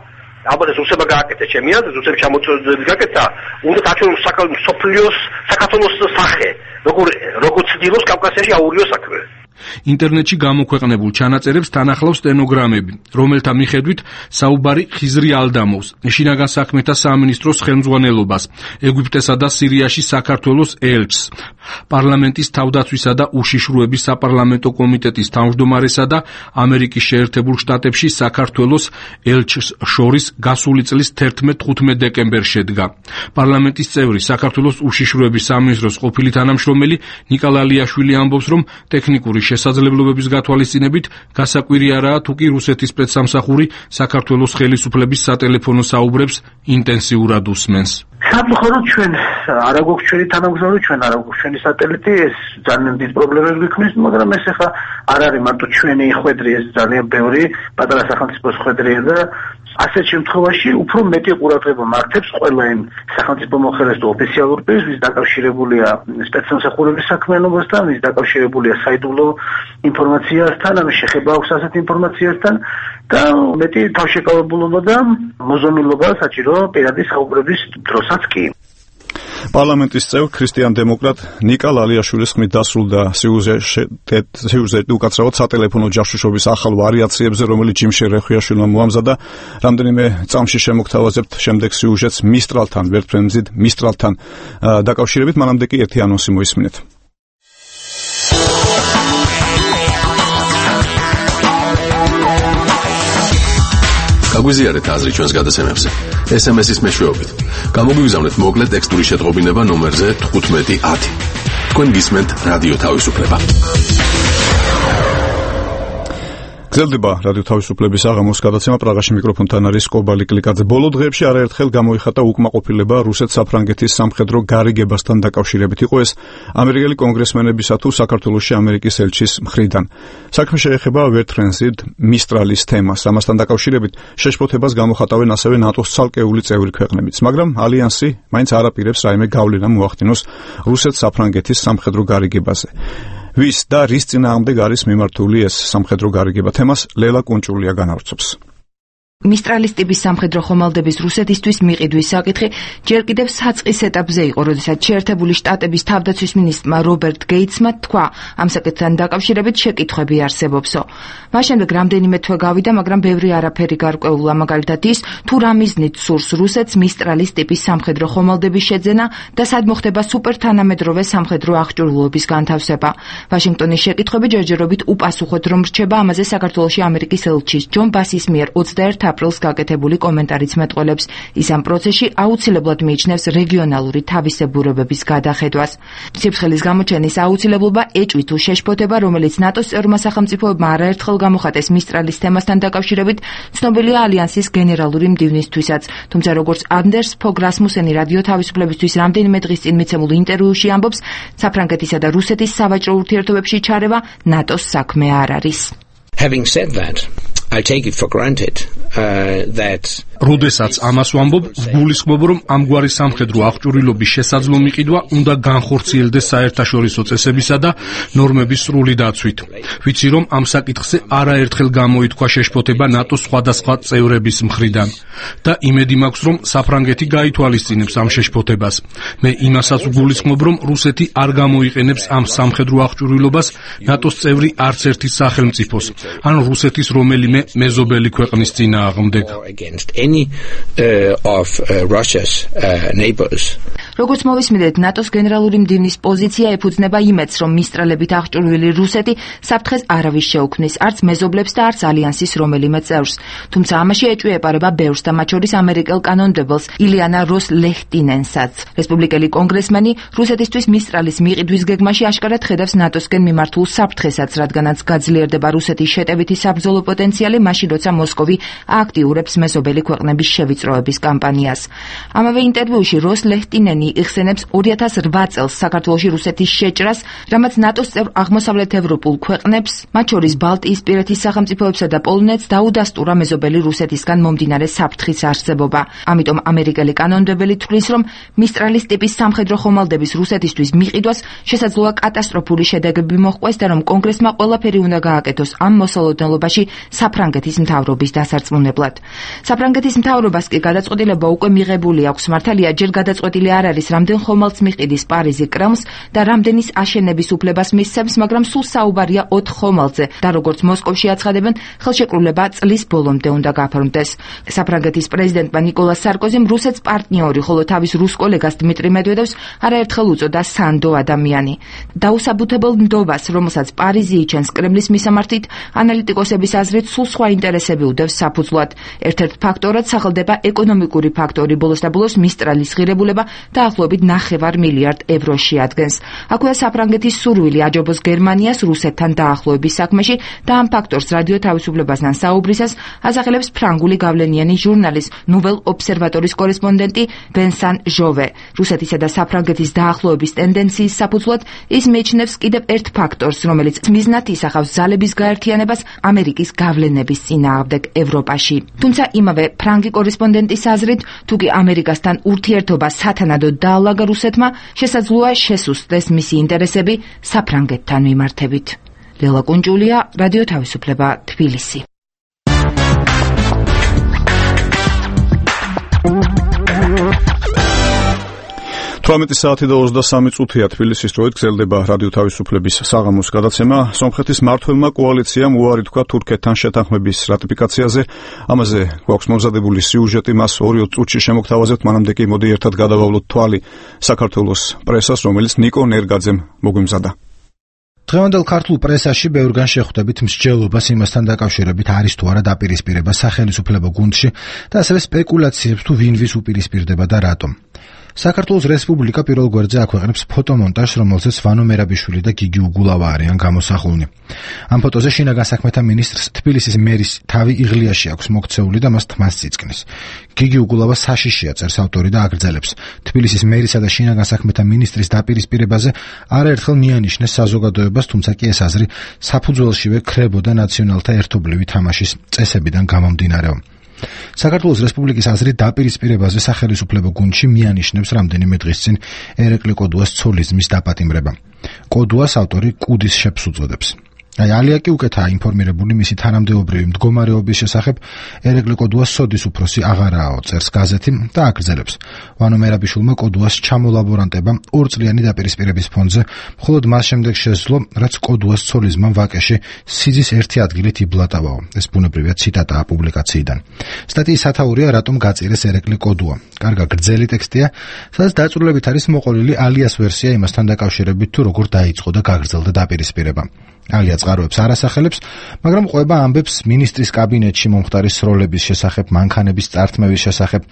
აბა ეს რუსებმა გააკეთა ჩემი აზრით, რუსებს ჩამოწოდებს გააკეთა, უნდა დაჩვენოს საქართველოს საქართველოს სახე, როგორ როგორ ცდილობს კავკასიაში აურიო საქმე. ინტერნეტში გამოქვეყნებულ ჩანაწერებს თანახლავს სტენოგრამები, რომელთა მიხედვით საუბარი ხიზრი ალდამოვს, შინაგან საქმეთა სამინისტროს ხელმძღვანელობას, ეგვიპტესა და სირიაში საქართველოს ელჩს, პარლამენტის თავდაცვისა და უშიშროების საპარლამენტო კომიტეტის თავმჯდომარესა და ამერიკის შეერთებულ შტატებში საქართველოს ელჩს შორის გასული წლის თერთმეტ-თხუთმეტ დეკემბერს შედგა. პარლამენტის წევრი, საქართველოს უშიშროების სამინისტროს ყოფილი თანამშრომელი ნიკა ლალიაშვილი ამბობს, რომ ტექნიკური შესაძლებლობების გათვალისწინებით გასაკვირი არაა თუ კი რუსეთის სპეცსამსახური საქართველოს ხელისუფლების სატელეფონო საუბრებს ინტენსიურად უსმენს. სამწუხაროდ ჩვენ არ აგვაქვს ჩვენი თანამგზავრი, ჩვენ არ აგვაქვს ჩვენი სატელიტი, ეს ძალიან დიდ პრობლემებს გვიქმნის, მაგრამ ეს ახლა არ არის მარტო ჩვენი ხვედრი, ეს ძალიან ბევრი პატარა სახელმწიფოს ხვედრია და ასეთ შემთხვევაში უფრო მეტი ყურადღება მართებს ყველა იმ სახელმწიფო მოხელეს და ოფიციალურ პირს, ვის დაკავშირებულია სპეცსამსახურების საქმიანობასთან, ვის დაკავშირებულია საიდუმლო ინფორმაციასთან, ამ შეხება აქვს ასეთ ინფორმაციასთან და მეტი თავშეკავებულობა და მოზომილობა საჭირო პირადი საუბრების დროსაც კი. პარლამენტის წევრ ქრისტიან-დემოკრატ ნიკა ლალიაშვილის ხმით დასრულდა სიუჟეტი უკაცრავად სატელეფონო ჯაშუშობის ახალ ვარიაციებზე, რომელიც ჯიმ შერეხვიაშვილმა მოამზადა. რამდენიმე წამში შემოგთავაზებთ შემდეგ სიუჟეტს მისტრალთან, ვერტფრენზით მისტრალთან დაკავშირებით, მანამდე კი ერთი ანონსი მოისმინეთ. გაგვიზიარეთ აზრი ჩვენს გადაცემებზე. ეს ემ ეს-ის მეშვეობით. გამოგვიგზავნეთ მოკლე ტექსტური შეტყობინება ნომერზე თხუთმეტი ათი. თქვენ გისმენთ რადიო თავისუფლება. გრძელდება რადიო თავისუფლების აღამოს გადაცემა. პრაღაში მიკროფონთან არის კობალი კლიკაძე. ბოლო დღეებში არაერთხელ გამოიხატა უკმაყოფილება რუსეთ-საფრანგეთის სამხედრო გარიგებასთან დაკავშირებით. იყო ეს ამერიკელი კონგრესმენებისა თუ საქართველოში ამერიკის ელჩის მხრიდან. საქმე შეეხება ვერტფრენზით მისტრალის თემას. ამასთან დაკავშირებით შეშფოთებას გამოხატავენ ასევე ნატოს ცალკეული წევრი ქვეყნებიც, მაგრამ ალიანსი მაინც არ აპირებს რაიმე გავლენა მოახდინოს რუსეთ-საფრანგეთის სამხედრო გარიგებაზე. ვის და რის წინააღმდეგ არის მიმართული ეს სამხედრო გარიგება თემას ლელა კუნჭულია განავრცობს. მისტრალის ტიპის სამხედრო ხომალდების რუსეთისთვის მიყიდვის საკითხი ჯერ კიდევ საწყის ეტაპზე იყო, როდესაც შეერთებული შტატების თავდაცვის მინისტრმა რობერტ გეიტსმა თქვა, ამ საკითხთან დაკავშირებით შეკითხვები არსებობსო. მას შემდეგ რამდენიმე თვე გავიდა, მაგრამ ბევრი არაფერი გარკვეულა, მაგალითად ის, თუ რა მიზნით სურს რუსეთს მისტრალის ტიპის სამხედრო ხომალდების შეძენა და სად მოხდება სუპერთანამედროვე სამხედრო აღჭურვილობის განთავსება. ვაშინგტონის შეკითხვები ჯერჯერობით უპასუხოდ რომ რჩება, ამაზე საქართველოში ამერიკის ელჩის ჯონ ბასის მიერ ოცდაერთ აპრილს გაკეთებული კომენტარიც მეტყველებს. ის ამ პროცესში აუცილებლად მიიჩნევს რეგიონალური თავისებურებების გადახედვას. სიფრთხილის გამოჩენის აუცილებლობა ეჭვი თუ შეშფოთება, რომელიც ნატოს წევრმა სახელმწიფოებმა არაერთხელ გამოხატეს მისტრალის თემასთან დაკავშირებით, ცნობილია ალიანსის გენერალური მდივნისთვისაც. თუმცა როგორც ანდერს ფოგ რასმუსენი რადიო თავისუფლებისთვის რამდენიმე დღის წინ მიცემულ ინტერვიუში ამბობს, საფრანგეთისა და რუსეთის სავაჭრო ურთიერთობებში ჩარევა ნატოს საქმე არ არის. Having said that, I take it for granted uh, that როდესაც ამას ვამბობ, გულისხმობ, რომ ამგვარი სამხედრო აღჭურვილობის შესაძლო მიყიდვა უნდა განხორციელდეს საერთაშორისო წესებისა და ნორმების სრული დაცვით. ვიცი, რომ ამ საკითხზე არაერთხელ გამოითქვა შეშფოთება ნატოს სხვადასხვა წევრების მხრიდან და იმედი მაქვს, რომ საფრანგეთი გაითვალისწინებს ამ შეშფოთებას. მე იმასაც ვგულისხმობ, რომ რუსეთი არ გამოიყენებს ამ სამხედრო აღჭურვილობას ნატოს წევრი არც ერთი სახელმწიფოს, ან რუსეთის რომელიმე მეზობელი ქვეყნის წინააღმდეგ. any uh, of uh, Russia's uh, neighbors. როგორც მოვისმინეთ, ნატოს გენერალური მდივნის პოზიცია ეფუძნება იმედს, რომ მისტრალებით აღჭურვილი რუსეთი საფრთხეს არავის შეუქმნის, არც მეზობლებს და არც ალიანსის რომელიმე წევრს. თუმცა ამაში ეჭვი ეპარება ბევრს და მათ შორის ამერიკელ კანონმდებელს ილიანა როს ლეხტინენსაც. რესპუბლიკელი კონგრესმენი რუსეთისთვის მისტრალის მიყიდვის გეგმაში აშკარად ხედავს ნატოსკენ მიმართულ საფრთხესაც, რადგანაც გაძლიერდება რუსეთის შეტევითი საბრძოლო პოტენციალი, მაშინ როცა მოსკოვი აქტიურებს მეზობელი ქვეყნების შევიწროების კამპანიას. ამავე ინტერვიუში როს ლეხტინენი იხსენებს ორი ათას რვა წელს საქართველოში რუსეთის შეჭრას, რამაც ნატოს წევრ აღმოსავლეთ ევროპულ ქვეყნებს, მათ შორის ბალტიისპირეთის სახელმწიფოებსა და პოლონეთს დაუდასტურა მეზობელი რუსეთისგან მომდინარე საფრთხის არსებობა. ამიტომ ამერიკელი კანონმდებელი თვლის, რომ მისტრალის ტიპის სამხედრო ხომალდების რუსეთისთვის მიყიდვას შესაძლოა კატასტროფული შედეგები მოჰყვეს და რომ კონგრესმა ყველაფერი უნდა გააკეთოს ამ მოსალოდნელობაში საფრანგეთის მთავრობის დასარწმუნებლად. საფრანგეთის მთავრობას კი გადაწყვეტილება უკვე მიღებული აქვს. მართალია, ჯერ გადაწყვეტილი არ არის, რამდენ ხომალდს მიყიდის პარიზი კრემლს და რამდენის აშენების უფლებას მისცემს, მაგრამ სულ საუბარია ოთხ ხომალდზე და როგორც მოსკოვში აცხადებენ, ხელშეკრულება წლის ბოლომდე უნდა გაფორმდეს. საფრანგეთის პრეზიდენტმა ნიკოლას სარკოზიმ რუსეთს პარტნიორი, ხოლო თავის რუს კოლეგას დმიტრი მედვედევს არაერთხელ უწოდა სანდო ადამიანი. დაუსაბუთებელ ნდობას, რომელსაც პარიზი იჩენს კრემლის მისამართით, ანალიტიკოსების აზრით სულ სხვა ინტერესები უდევს საფუძვლად. ერთ-ერთ ფაქტორად სახელდება ეკონომიკური ფაქტორი, ბოლოს და ბოლოს მისტრალის ღირებულება დაახლოებით ნახევარ მილიარდ ევროს შეადგენს. აქვეა საფრანგეთის სურვილი აჯობოს გერმანიას რუსეთთან დაახლოების საქმეში და ამ ფაქტორს რადიო თავისუფლებასთან საუბრისას ასახელებს ფრანგული გავლენიანი ჟურნალის ნუվել ობსერვატორის კორესპონდენტი ვენსან ჟოვე. რუსეთისა და საფრანგეთის დაახლოების ტენდენციის საფუძვლად ის მიიჩნევს კიდევ ერთ ფაქტორს, რომელიც მიზნად ისახავს ძალების გაერთიანებას ამერიკის გავლენების წინააღმდეგ ევროპაში. თუმცა იმავე ფრანგი კორესპონდენტის აზრით, თუ კი ამერიკასთან ურთიერთობა სათანადოდ დაალაგა რუსეთმა, შესაძლოა შესუსტდეს მისი ინტერესები საფრანგეთთან მიმართებით. ლელა კუნჭულია, რადიო თავისუფლება, თბილისი. თვრამეტი საათი და ოცდასამი წუთია თბილისის დროით გრძელდება რადიო თავისუფლების საღამოს გადაცემა. სომხეთის მმართველმა კოალიციამ უარი თქვა თურქეთთან შეთანხმების რატიფიკაციაზე. ამაზე გვაქვს მომზადებული სიუჟეტი, მას ორი წუთში შემოგთავაზებთ, მანამდე კი მოდი ერთად გადავავლოთ თვალი საქართველოს პრესას, რომელიც ნიკო ნერგაძემ მოგვიმზადა. დღევანდელ ქართულ პრესაში ბევრგან შეხვდებით მსჯელობას იმასთან დაკავშირებით არის თუ არა დაპირისპირება სახელმწიფო გუნდში და ასევე სპეკულაციებს თუ ვინ ვის უპირისპირდება და რატომ. საქართველოს რესპუბლიკა პირველ გვერდზე აქვეყნებს ფოტომონტაჟს, რომელზეც ვანო მერაბიშვილი და გიგი უგულავა არიან გამოსახულნი. ამ ფოტოზე შინაგან საქმეთა მინისტრს თბილისის მერის თავი იღლიაში აქვს მოქცეული და მას თმას წიწკნის. გიგი უგულავა საშიშია წერს ავტორი და აგრძელებს. თბილისის მერისა და შინაგან საქმეთა მინისტრის დაპირისპირებაზე არაერთხელ მიანიშნეს საზოგადოებას, თუმცა კი ეს აზრი საფუძველშივე ქრებოდა ნაციონალთა ერთობლივი თამაშის წესებიდან გამომდინარეო. საქართველოს რესპუბლიკის აზრით დაპირისპირებაზე სახელმწიფო გუნდში მიანიშნებს რამდენიმე დღის წინ ერეკლე კოდუას ცოლიზმის დაპატიმრება. კოდუას ავტორი კუდის შეფს უწოდებს. აი ალია კი უკეთაა ინფორმირებული მისი თანამდებობრივი მდგომარეობის შესახებ. ერეკლე კოდუას სოდის უფროსი აღარაო, წერს გაზეთი და აგრძელებს. ვანო მერაბიშვილმა კოდუას ჩამოლაბორანტება ორწლიანი დაპირისპირების ფონზე მხოლოდ მას შემდეგ შესძლო, რაც კოდუას ცოლიზმამ ვაკეში სიძის ერთი ადგილით იბლატავაო. ეს ბუნებრივია ციტატაა პუბლიკაციიდან. სტატიის სათაურია რატომ გაწირეს ერეკლე კოდუა. კარგა გრძელი ტექსტია, სადაც დაწვრილებით არის მოყოლილი ალიას ვერსია იმასთან დაკავშირებით თუ როგორ დაიწყო და გაგრძელდა დაპირისპირება. ალია წყაროებს არ ასახელებს, მაგრამ ყვება ამბებს მინისტრის კაბინეტში მომხდარი სროლების შესახებ, მანქანების წართმევის შესახებ.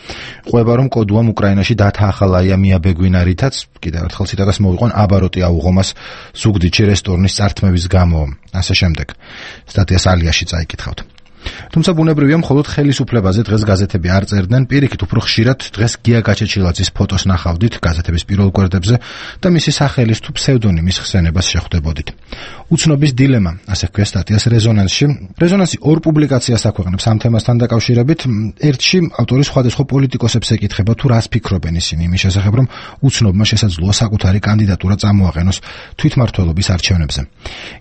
ყვება რომ კოდუამ უკრაინაში დათაახალაია მიაბეგვინა, რითაც კიდევ ერთხელ ციტატას მოვიყვან აბაროტი აუღომას ზუგდიდში რესტორნის წართმევის გამო. ასე შემდეგ. სტატიას ალიაში წაიკითხავთ. თუმცა ბუნებრივია მხოლოდ ხელისუფლებაზე დღეს გაზეთები არ წერდნენ, პირიქით უფრო ხშირად დღეს გია გაჩეჩილაძის ფოტოს ნახავდით გაზეთების პირველ გვერდებზე და მისი სახელის თუ ფსევდონიმის ხსენებას შეხვდებოდით. უცნობის დილემა, ასე ქვია სტატიას რეზონანსში. რეზონანსი ორ პუბლიკაციას აქვეყნებს ამ თემასთან დაკავშირებით. ერთში ავტორი სხვადასხვა პოლიტიკოსებს ეკითხება თუ რას ფიქრობენ ისინი იმის შესახებ, რომ უცნობმა შესაძლოა საკუთარი კანდიდატურა წამოაყენოს თვითმმართველობის არჩევნებზე.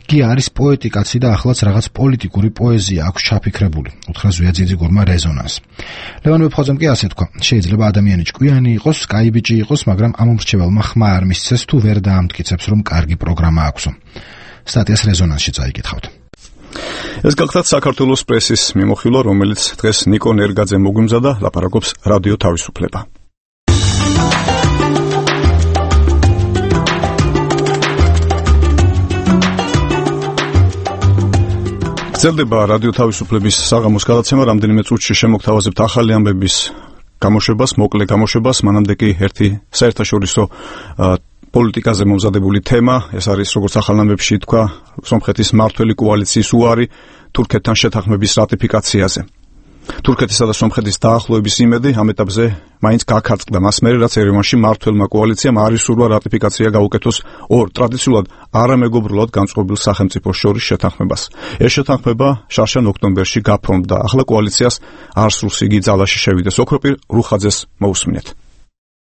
გია არის პოეტი კაცი და ახლაც რაღაც პოლიტიკური პოეზია აქვს ჩაფიქრებული, უთხრა ზვია ძიძიგურმა რეზონანს. ლევან ვეფხოზემ კი ასე თქვა, შეიძლება ადამიანი ჭკვიანი იყოს, კაიბიჭი იყოს, მაგრამ ამ მრჩეველმა ხმა არ მისცეს თუ ვერ დაამტკიცებს, რომ კარგი პროგრამა აქვსო. სტატიას რეზონანსში წაიკითხავთ. ეს გახლავთ საქართველოს პრესის მიმოხილვა, რომელიც დღეს ნიკო ნერგაძე მოგვიმზადა, ლაპარაკობს რადიო თავისუფლება. გრძელდება რადიო თავისუფლების საღამოს გადაცემა, რამდენიმე წუთში შემოგთავაზებთ ახალი ამბების გამოშვებას, მოკლე გამოშვებას, მანამდე კი ერთი საერთაშორისო პოლიტიკაზე მომზადებული თემა, ეს არის როგორც ახალ ამბებში თქვა, სომხეთის მმართველი კოალიციის უარი თურქეთთან შეთანხმების რატიფიკაციაზე. თურქეთისა და სომხეთის დაახლოების იმედი ამ ეტაპზე მაინც გაქარწყდა მას მერე, რაც ერევანში მმართველმა კოალიციამ არ ისურვა რატიფიკაცია გაუკეთოს ორ ტრადიციულად არამეგობრულად განწყობილ სახელმწიფოს შორის შეთანხმებას. ეს შეთანხმება შარშან ოქტომბერში გაფორმდა. ახლა კოალიციას არ სურს იგი ძალაში შევიდეს. ოქროპირ რუხაძეს მოусმინეთ.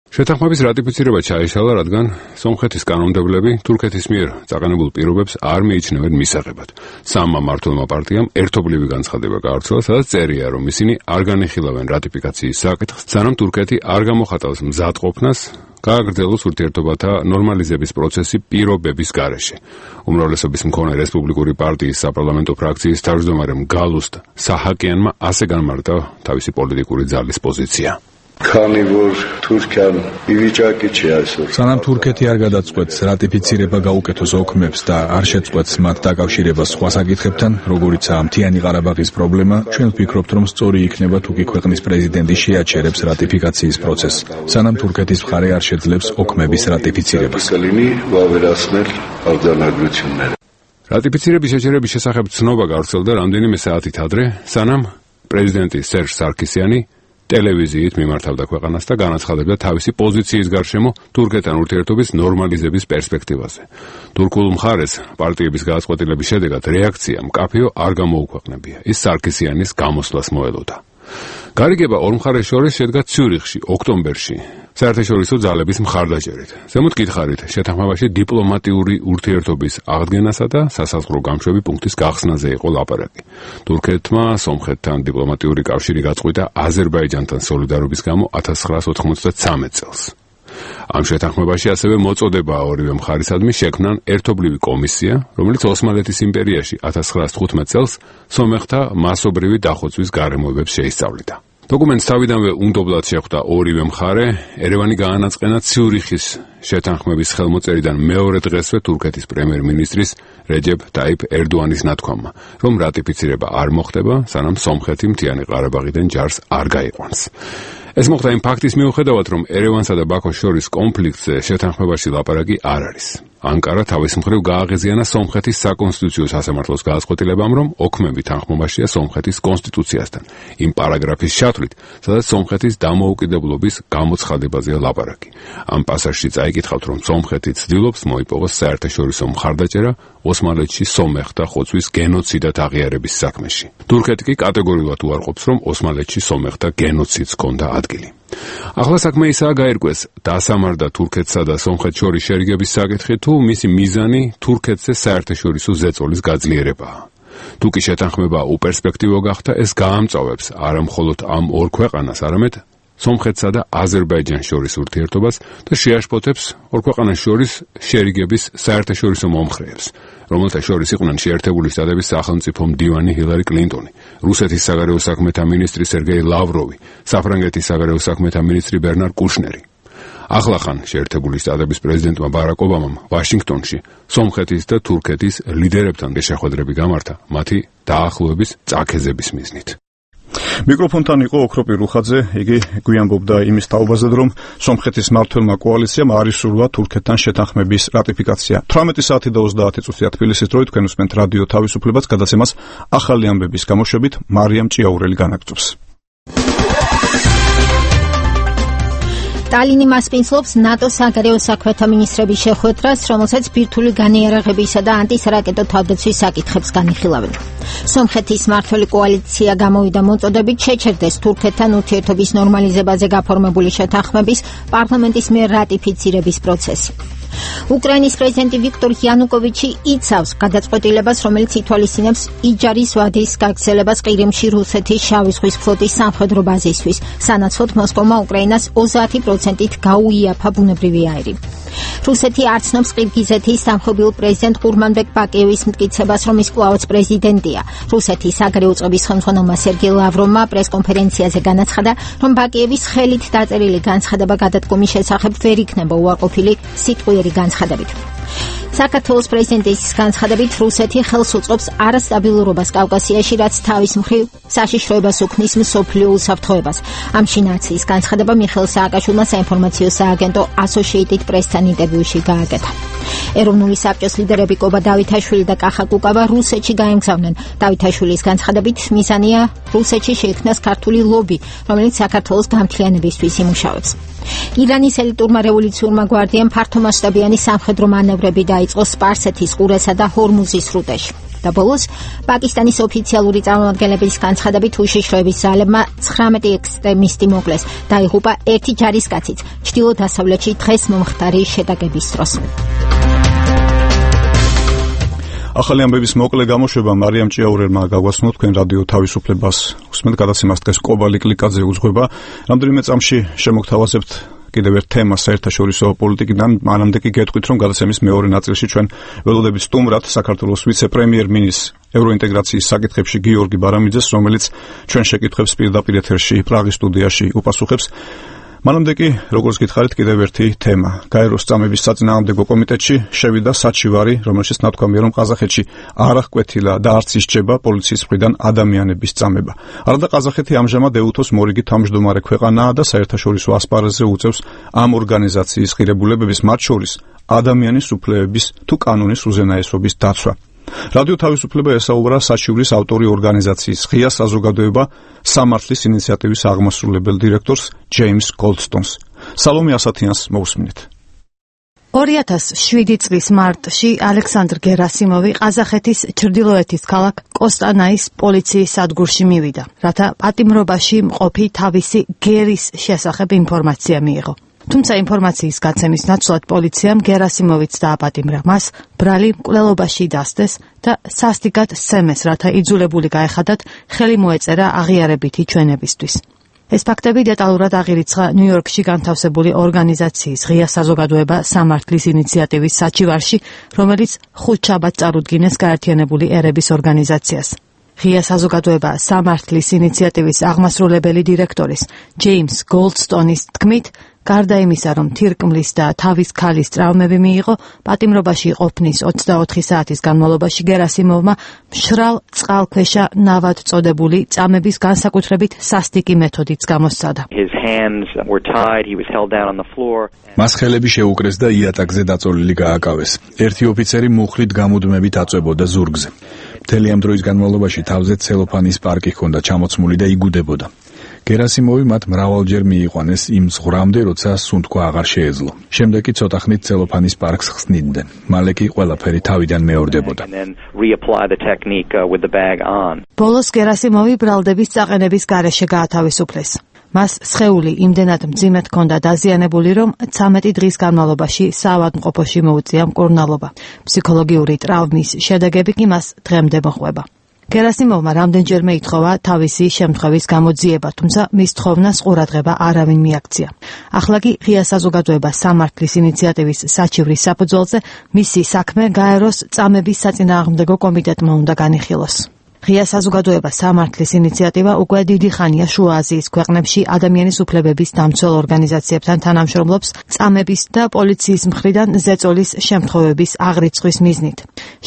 შეთანხმების რატიფიცირება ჩაიშალა, რადგან სომხეთის კანონმდებლები თურქეთის მიერ წაყენებულ პირობებს არ მიიჩნევენ მისაღებად. სამმა მმართველმა პარტიამ ერთობლივი განცხადება გაავრცელა, სადაც წერია, რომ ისინი არ განიხილავენ რატიფიკაციის საკითხს, სანამ თურქეთი არ გამოხატავს მზადყოფნას გააგრძელოს ურთიერთობათა ნორმალიზების პროცესი პირობების გარეშე. უმრავლესობის მქონე რესპუბლიკური პარტიის საპარლამენტო ფრაქციის თავმჯდომარემ გალუსტ საჰაკიანმა ასე განმარტა თავისი პოლიტიკური ძალის პოზიცია. Քանի որ Թուրքիան իվիճակի չի այսօր. Սանամ Թուրքեթի არ გადაწყვეტს რატიფიცირება გაუკეთოს ოქმებს და არ შეწყვეტს მათ დაკავშირებას სხვა საკითხებთან, როგორიცაა მთიანი ყარაბაღის პრობლემა, ჩვენ ვფიქრობთ, რომ სწორი იქნება თუ კი ქვეყნის პრეზიდენტი შეაჩერებს რატიფიკაციის პროცესს, სანამ თურქეთის მხარე არ შეძლებს ოქმების რატიფიცირებას. რატიფიცირების შეჩერების შესახებ ცნობა გავრცელდა რამდენიმე საათით ადრე, სანამ პრეზიდენტი სერჟ სარქისიანი ტელევიზიით მიმართავდა ქვეყანას და განაცხადებდა თავისი პოზიციის გარშემო თურქეთთან ურთიერთობის ნორმალიზების პერსპექტივაზე. თურქულ მხარეს პარტიების გადაწყვეტილების შედეგად რეაქცია მკაფიო არ გამოუქვეყნებია. ის სარქისიანის გამოსვლას მოელოდა. გარიგება ორ მხარეს შორის შედგა ციურიხში, ოქტომბერში, საერთაშორისო ძალების მხარდაჭერით. ზემოთ გითხარით, შეთანხმებაში დიპლომატიური ურთიერთობის აღდგენასა და სასაზღვრო გამშვები პუნქტის გახსნაზე იყო ლაპარაკი. თურქეთმა სომხეთთან დიპლომატიური კავშირი გაწყვიტა აზერბაიჯანთან სოლიდარობის გამო ათას ცხრაას ოთხმოცდათსამეტ წელს. ამ შეთანხმებაში ასევე მოწოდებაა ორივე მხარისადმი შექმნან ერთობლივი კომისია, რომელიც ოსმალეთის იმპერიაში ათას ცხრაას თხუთმეტ წელს სომეხთა მასობრივი დახოცვის გარემოებებს შეისწავლიდა. დოკუმენტს თავიდანვე უნდობლად შეხვდა ორივე მხარე, ერევანი გაანაწყენა ციურიხის შეთანხმების ხელმოწერიდან მეორე დღესვე თურქეთის პრემიერ-მინისტრის რეჯეფ ტაიფ ერდოანის ნათქვამმა, რომ რატიფიცირება არ მოხდება, სანამ სომხეთი მთიანი ყარაბაღიდან ჯარს არ გაიყვანს. ეს მოხდა იმ ფაქტის მიუხედავად, რომ ერევანსა და ბაქოს შორის კონფლიქტზე შეთანხმებაში ლაპარაკი არ არის. ანკარა თავის მხრივ გააღიზიანა სომხეთის საკონსტიტუციო სასამართლოს გადაწყვეტილებამ, რომ ოქმები თანხმობაშია სომხეთის კონსტიტუციასთან, იმ პარაგრაფის ჩათვლით, სადაც სომხეთის დამოუკიდებლობის გამოცხადებაზეა ლაპარაკი. ამ პასაჟში წაიკითხავთ, რომ სომხეთი ცდილობს მოიპოვოს საერთაშორისო მხარდაჭერა ოსმალეთში სომეხთა ხოცვის გენოციდად აღიარების საქმეში. თურქეთი კი კატეგორიულად უარყოფს, რომ ოსმალეთში სომეხთა გენოციდს ჰქონდა ადგილი. ახლა საქმე ისაა გაირკვეს, დასამარდა თურქეთსა და სომხეთს შორის შერიგების საკითხი, თუ მისი მიზანი თურქეთზე საერთაშორისო ზეწოლის გაძლიერებაა. თუ კი შეთანხმება უპერსპექტივო გახდა, ეს გაამწვავებს არა მხოლოდ ამ ორ ქვეყანას, არამედ სომხეთსა და აზერბაიჯანს შორის ურთიერთობას და შეაშფოთებს ორ ქვეყანას შორის შერიგების საერთაშორისო მომხრეებს, რომელთა შორის იყვნენ შეერთებული შტატების სახელმწიფო მდივანი ჰილარი კლინტონი, რუსეთის საგარეო საქმეთა მინისტრი სერგეი ლავროვი, საფრანგეთის საგარეო საქმეთა მინისტრი ბერნარ კუშნერი. ახლახან შეერთებული შტატების პრეზიდენტმა ბარაკ ობამამ ვაშინგტონში სომხეთის და თურქეთის ლიდერებთან შეხვედრები გამართა მათი დაახლოების წაქეზების მიზნით. მიკროფონთან იყო ოქროპი რუხაძე, იგი გვიანბობდა იმის თაობაზე, რომ სომხეთის მმართველმა კოალიციამ არ ისურვა თურქეთთან შეთანხმების რატიფიკაცია. თვრამეტი საათი და ოცდაათი წუთია თბილისის დროით თქვენ უსმენთ რადიო თავისუფლებას გადაცემას ახალი ამბების გამოშვებით მარიამ ჭიაურელი განაგრძობს. ტალინი მასპინძლობს ნატოს საგარეო საქმეთა მინისტრების შეხვედრას, რომელსაც ბირთვული განიარაღებისა და ანტისარაკეტო თავდაცვის საკითხებს განიხილავენ. სომხეთის მმართველი კოალიცია გამოვიდა მოწოდებით შეჩერდეს თურქეთთან ურთიერთობის ნორმალიზებაზე გაფორმებული შეთანხმების პარლამენტის მიერ რატიფიცირების პროცესი. უკრაინის პრეზიდენტი ვიქტორ იანუკოვიჩი იცავს გადაწყვეტილებას, რომელიც ითვალისწინებს იჯარის ვადის გაგრძელებას ყირიმში რუსეთის შავი ზღვის ფლოტის სამხედრო ბაზისთვის, სანაცვლოდ მოსკოვმა უკრაინას ოცდაათი პროცენტით გაუიაფა ბუნებრივი აირი. რუსეთი არ ცნობს ყირგიზეთის სამხობილ პრეზიდენტ ყურმანბეკ ბაკიევის მტკიცებას, რომ ის კვლავაც პრეზიდენტია. რუსეთის საგარეო წყობის ხელმძღვანელმა სერგეი ლავროვმა პრესკონფერენციაზე განაცხადა, რომ ბაკიევის ხელით დაწერილი განცხადება გადადგომის შესახებ ვერ იქნება უარყოფილი სიტყვიერი განცხადებით. საქართველოს პრეზიდენტის განცხადებით რუსეთი ხელს უწყობს არასტაბილურობას კავკასიაში, რაც თავის მხრივ საშიშროებას უქმნის მსოფლიო უსაფრთხოებას. ამში ნაციის განცხადება მიხეილ სააკაშვილმა საინფორმაციო სააგენტო Associated Press-თან ინტერვიუში გააკეთა. ეროვნული საბჭოს ლიდერები კობა დავითაშვილი და კახა კუკავა რუსეთში გაემგზავნენ. დავითაშვილის განცხადებით მიზანია რუსეთში შეიქმნას ქართული ლობი, რომელიც საქართველოს გამთლიანებისთვის იმუშავებს. ირანის ელიტურმა რევოლუციურმა გვარდიამ ფართომასშტაბიანი სამხედრო მანევრები დაიწყო სპარსეთის ყურესა და ჰორმუზის სრუტეში. და ბოლოს პაკისტანის ოფიციალური წარმომადგენლების განცხადებით უშიშროების ძალებმა ცხრამეტი ექსტრემისტი მოკლეს, დაიღუპა ერთი ჯარისკაციც ჩრდილო-დასავლეთში დღეს მომხდარი შეტაკების დროს. ახალი ამბების მოკლე გამოშვება მარიამ ჭიაურელმა გაგვასწროთ თქვენ რადიო თავისუფლებას. უსმენთ გადაცემას დღეს კობალი კლიკაძე უძღვება. რამდენიმე წამში შემოგთავაზებთ კიდევ ერთ თემას საერთაშორისო პოლიტიკიდან, მანამდე კი გეტყვით, რომ გადაცემის მეორე ნაწილში ჩვენ ველოდებით სტუმრად საქართველოს ვიცე-პრემიერ-მინისტრ ევროინტეგრაციის საკითხებში გიორგი ბარამიძეს, რომელიც ჩვენ შეკითხვებს პირდაპირ ეთერში პრაღის სტუდიაში უპასუხებს. მანამდე კი, როგორც გითხარით, კიდევ ერთი თემა. გაეროს წამების საწინააღმდეგო კომიტეტში შევიდა საჩივარი, რომელშიც ნათქვამია, რომ ყაზახეთში არ აღკვეთილა და არც ისჯება პოლიციის მხრიდან ადამიანების წამება. არადა ყაზახეთი ამჟამად ეუთოს მორიგი თავმჯდომარე ქვეყანაა და საერთაშორისო ასპარეზზე უწევს ამ ორგანიზაციის ღირებულებების, მათ შორის ადამიანის უფლებების თუ კანონის უზენაესობის დაცვა. რადიო თავისუფლება ესაუბრა საჩივრის ავტორი ორგანიზაციის ღია საზოგადოება სამართლის ინიციატივის აღმასრულებელ დირექტორს ჯეიმს გოლდსტონს. სალომე ასათიანს მოусმინეთ. ორი ათას შვიდი წლის მარტში ალექსანდრ გერასიმოვი ყაზახეთის ჩრდილოეთის ქალაქ კოსტანაის პოლიციის სადგურში მივიდა, რათა პატიმრობაში მყოფი თავისი გერის შესახებ ინფორმაცია მიიღო. თუმცა ინფორმაციის გაცემის ნაცვლად პოლიციამ გერასიმოვიც დააპატიმრა, მას ბრალი მკვლელობაში დასდეს და სასტიკად სცემეს, რათა იძულებული გაეხადათ ხელი მოეწერა აღიარებითი ჩვენებისთვის. ეს ფაქტები დეტალურად აღირიცხა ნიუ-იორკში განთავსებული ორგანიზაციის ღია საზოგადოება სამართლის ინიციატივის საჩივარში, რომელიც ხუთშაბათს წარუდგინეს გაერთიანებული ერების ორგანიზაციას. ღია საზოგადოება სამართლის ინიციატივის აღმასრულებელი დირექტორის ჯეიმს გოლდსტონის თქმით, გარდა იმისა, რომ თირკმლის და თავის ქალის ტრავმები მიიღო, პატიმრობაში ყოფნის ოცდაოთხი საათის განმავლობაში გერასიმოვმა მშრალ წყალქვეშა ნავად წოდებული წამების განსაკუთრებით სასტიკი მეთოდიც გამოსცადა. His hands were tied, he was held down on the floor. მას ხელები შეუკრეს და იატაკზე დაწოლილი გააკავეს. ერთი ოფიცერი მუხლით გამუდმებით აწვებოდა ზურგზე. მთელი ამ დროის განმავლობაში თავზე ცელოფანის პარკი ჰქონდა ჩამოცმული და იგუდებოდა. გერასიმოვი მათ მრავალჯერ მიიყვანეს იმ ზღვრამდე, როცა სუნთქვა აღარ შეეძლო. შემდეგ კი ცოტა ხნით ცელოფანის პარკს ხსნიდნენ. მალე კი ყველაფერი თავიდან მეორდებოდა. ბოლოს გერასიმოვი ბრალდების წაყენების გარეშე გაათავისუფლეს. მას სხეული იმდენად მძიმედ ჰქონდა დაზიანებული, რომ ცამეტი დღის განმავლობაში საავადმყოფოში მოუწია მკურნალობა. ფსიქოლოგიური ტრავმის შედეგები კი მას დღემდე მოჰყვება. გერასიმოვმა რამდენჯერმე ითხოვა თავისი შემთხვევის გამოძიება, თუმცა მის თხოვნას ყურადღება არავინ მიაქცია. ახლა კი ღია საზოგადოება სამართლის ინიციატივის საჩივრის საფუძველზე მისი საქმე გაეროს წამების საწინააღმდეგო კომიტეტმა უნდა განიხილოს. ღია საზოგადოება სამართლის ინიციატივა უკვე დიდი ხანია შუა აზიის ქვეყნებში ადამიანის უფლებების დამცველ ორგანიზაციებთან თანამშრომლობს წამების და პოლიციის მხრიდან ზეწოლის შემთხვევების აღრიცხვის მიზნით.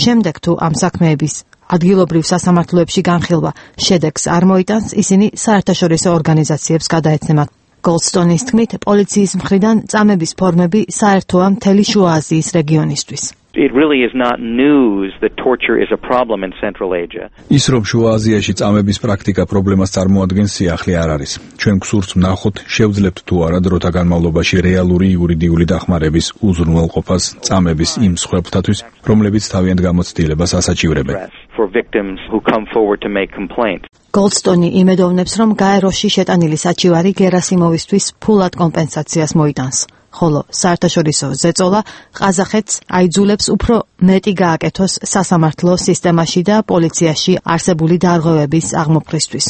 შემდეგ თუ ამ საქმეების ადგილობრივ სასამართლოებში განხილვა შედეგს არ მოიტანს, ისინი საერთაშორისო ორგანიზაციებს გადაეცემათ. გოლდსტონის თქმით, პოლიციის მხრიდან წამების ფორმები საერთოა მთელი შუა აზიის რეგიონისთვის. It really is not news that torture is a problem in Central Asia. ის რომ შუა აზიაში წამების პრაქტიკა პრობლემას წარმოადგენს, სიახლე არ არის. ჩვენ გსურთ ვნახოთ, შევძლებთ თუ არა დროთა განმავლობაში რეალური იურიდიული დახმარების უზრუნველყოფას წამების იმ მსხვერპლთათვის, რომლებიც თავიანთ გამოცდილებას ასაჩივრებენ. For victims who come forward to make complaint. გოლდსტონი იმედოვნებს, რომ გაეროში შეტანილი საჩივარი გერასიმოვისთვის ფულად კომპენსაციას მოიტანს. ხოლო საერთაშორისო ზეწოლა ყაზახეთს აიძულებს უფრო მეტი გააკეთოს სასამართლო სისტემაში და პოლიციაში არსებული დარღვევების აღმოფხვრისთვის.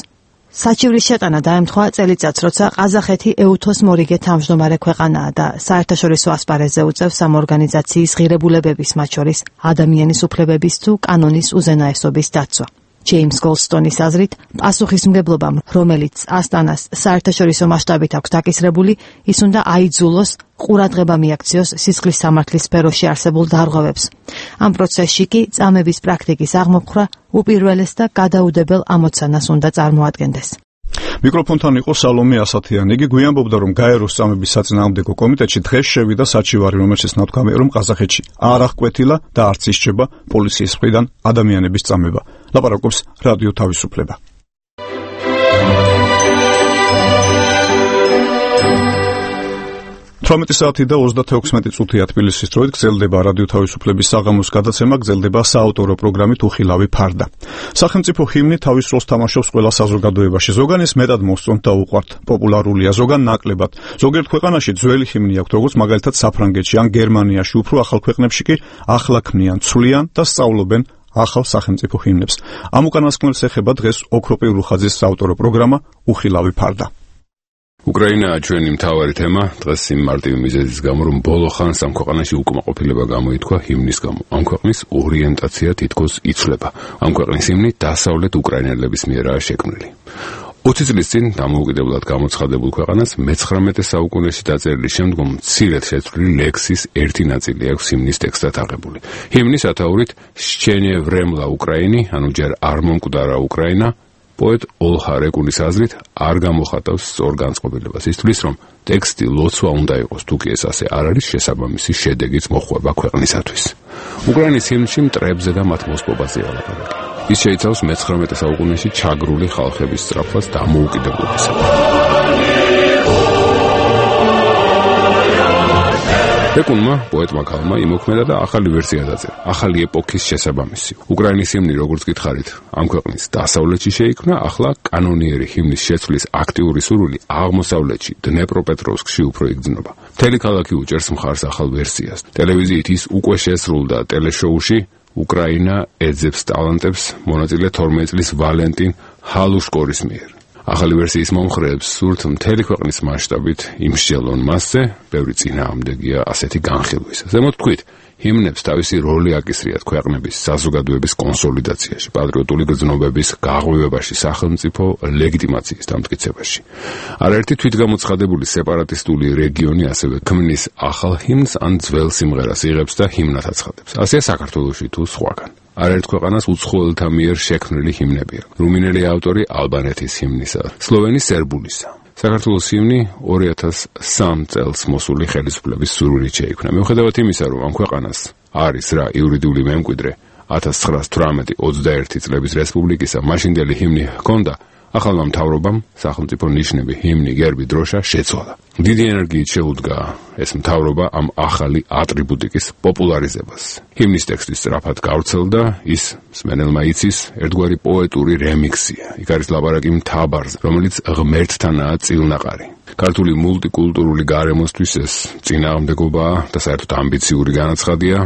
საჩივრის შეტანა დაემთხვა წელიწადს, როცა ყაზახეთი ეუთოს მორიგე თავმჯდომარე ქვეყანაა და საერთაშორისო ასპარეზზე უწევს ამ ორგანიზაციის ღირებულებების, მათ შორის ადამიანის უფლებების თუ კანონის უზენაესობის დაცვა. ჯეიმს გოლდსტონის აზრით, პასუხისმგებლობამ, რომელიც ასტანას საერთაშორისო მასშტაბით აქვს დაკისრებული, ის უნდა აიძულოს ყურადღება მიაქციოს სისხლის სამართლის სფეროში არსებულ დარღვევებს. ამ პროცესში კი წამების პრაქტიკის აღმოფხვრა უპირველეს და გადაუდებელ ამოცანას უნდა წარმოადგენდეს. მიკროფონთან იყო სალომე ასათიანი. იგი გვიანბობდა, რომ გაეროს წამების საწინააღმდეგო კომიტეტში დღეს შევიდა საჩივარი, რომელშიც ნათქვამია, რომ ყაზახეთში არ აღკვეთილა და არც ისჩება პოლიციის მხრიდან ადამიანების წამება. ლაპარაკობს რადიო თავისუფლება. თვრამეტი საათი და ოცდაექვსი წუთია თბილისის დროით გრძელდება რადიო თავისუფლების საღამოს გადაცემა, გრძელდება საავტორო პროგრამით უხილავი ფარდა. სახელმწიფო ჰიმნი თავის როლს თამაშობს ყველა საზოგადოებაში. ზოგან ეს მეტად მოსწონთ და უყვართ. პოპულარულია, ზოგან ნაკლებად. ზოგიერთ ქვეყანაში ძველი ჰიმნი აქვს, როგორც მაგალითად საფრანგეთში ან გერმანიაში, უფრო ახალ ქვეყნებში კი ახლა ქმნიან, ცვლიან და სწავლობენ ახალ სახელმწიფო ჰიმნებს. ამ უკანასკნელს ეხება დღეს ოქროპი ურუხაძის საავტორო პროგრამა უხილავი ფარდა. უკრაინაა ჩვენი მთავარი თემა დღეს იმ მარტივი მიზეზის გამო, რომ ბოლო ხანს ამ ქვეყანაში უკმაყოფილება გამოითქვა ჰიმნის გამო. ამ ქვეყნის ორიენტაცია თითქოს იცვლება. ამ ქვეყნის ჰიმნი დასავლეთ უკრაინელების მიერაა შექმნილი. ოცი წლის წინ დამოუკიდებლად გამოცხადებულ ქვეყანას მეცხრამეტე საუკუნეში დაწერილი შემდგომ მცირედ შეცვლილი ლექსის ერთი ნაწილი აქვს ჰიმნის ტექსტად აღებული. ჰიმნის სათაურით „შჩენე ვრემლა უკრაინი“, ანუ ჯერ არ მომკვდარა უკრაინა, პოეტ ოლჰა რეკუნის აზრით არ გამოხატავს სწორ განწყობილებას. ის თვლის, რომ ტექსტი ლოცვა უნდა იყოს, თუ კი ეს ასე არ არის, შესაბამისი შედეგიც მოხვება ქვეყნისათვის. უკრაინის ჰიმნში მტრებზე და მათ მოსპობაზეა ლაპარაკი. ის შეიცავს მეცხრამეტე საუკუნეში ჩაგრული ხალხების სწრაფად დამოუკიდებლობისა. რეკუნმა, პოეტმა ქალმა იმოქმედა და ახალი ვერსია დაწერა, ახალი ეპოქის შესაბამისი. უკრაინის ჰიმნი, როგორც გითხარით, ამ ქვეყნის დასავლეთში შეიქმნა, ახლა კანონიერი ჰიმნის შეცვლის აქტიური სურვილი აღმოსავლეთში, დნეპროპეტროვსკში უფრო იგრძნობა. მთელი ქალაქი უჭერს მხარს ახალ ვერსიას. ტელევიზიით ის უკვე შესრულდა ტელეშოუში უკრაინა ეძებს ტალანტებს მონაწილე თორმეტი წლის ვალენტინ ჰალუშკორის მიერ. ახალი ვერსიის მომხრეებს სურთ მთელი ქვეყნის მასშტაბით იმსჯელონ მასზე, ბევრი წინააღმდეგია ასეთი განხილვის. ზემოთ თქვით, ჰიმნებს თავისი როლი აკისრიათ ქვეყნების საზოგადოების კონსოლიდაციაში, პატრიოტული გრძნობების გაღვივებაში, სახელმწიფო ლეგიტიმაციის დამტკიცებაში. არაერთი თვითგამოცხადებული სეპარატისტული რეგიონი ასევე ქმნის ახალ ჰიმნს ან ძველ სიმღერას იღებს და ჰიმნად აცხადებს. ასეა საქართველოში თუ სხვაგან. არაერთ ქვეყანას უცხოელთა მიერ შექმნილი ჰიმნები აქვს. რუმინელი ავტორი ალბანეთის ჰიმნისა, სლოვენი სერბულისა. საქართველოს ჰიმნი ორი ათას სამი წელს მოსული ხელისუფლების სურვილით შეიქმნა. მიუხედავად იმისა, რომ ამ ქვეყანას არის რა იურიდიული მემკვიდრე ათას ცხრაას თვრამეტი ოცდაერთი წლების რესპუბლიკისა მაშინდელი ჰიმნი ჰქონდა, ახალმა მთავრობამ სახელმწიფო ნიშნები, ჰიმნი, გერბი, დროშა შეცვალა. დიდი ენერგიით შეუდგა ეს მთავრობა ამ ახალი ატრიბუტიკის პოპულარიზებას. ჰიმნის ტექსტი სწრაფად გავრცელდა, ის მსმენელმა იცის, ერთგვარი პოეტური რემიქსია. იქ არის ლაპარაკი მთავარზე, რომელიც ღმერთთანაა წილნაყარი. ქართული მულტიკულტურული გარემოსთვის ეს წინააღმდეგობაა და საერთოდ ამბიციური განაცხადია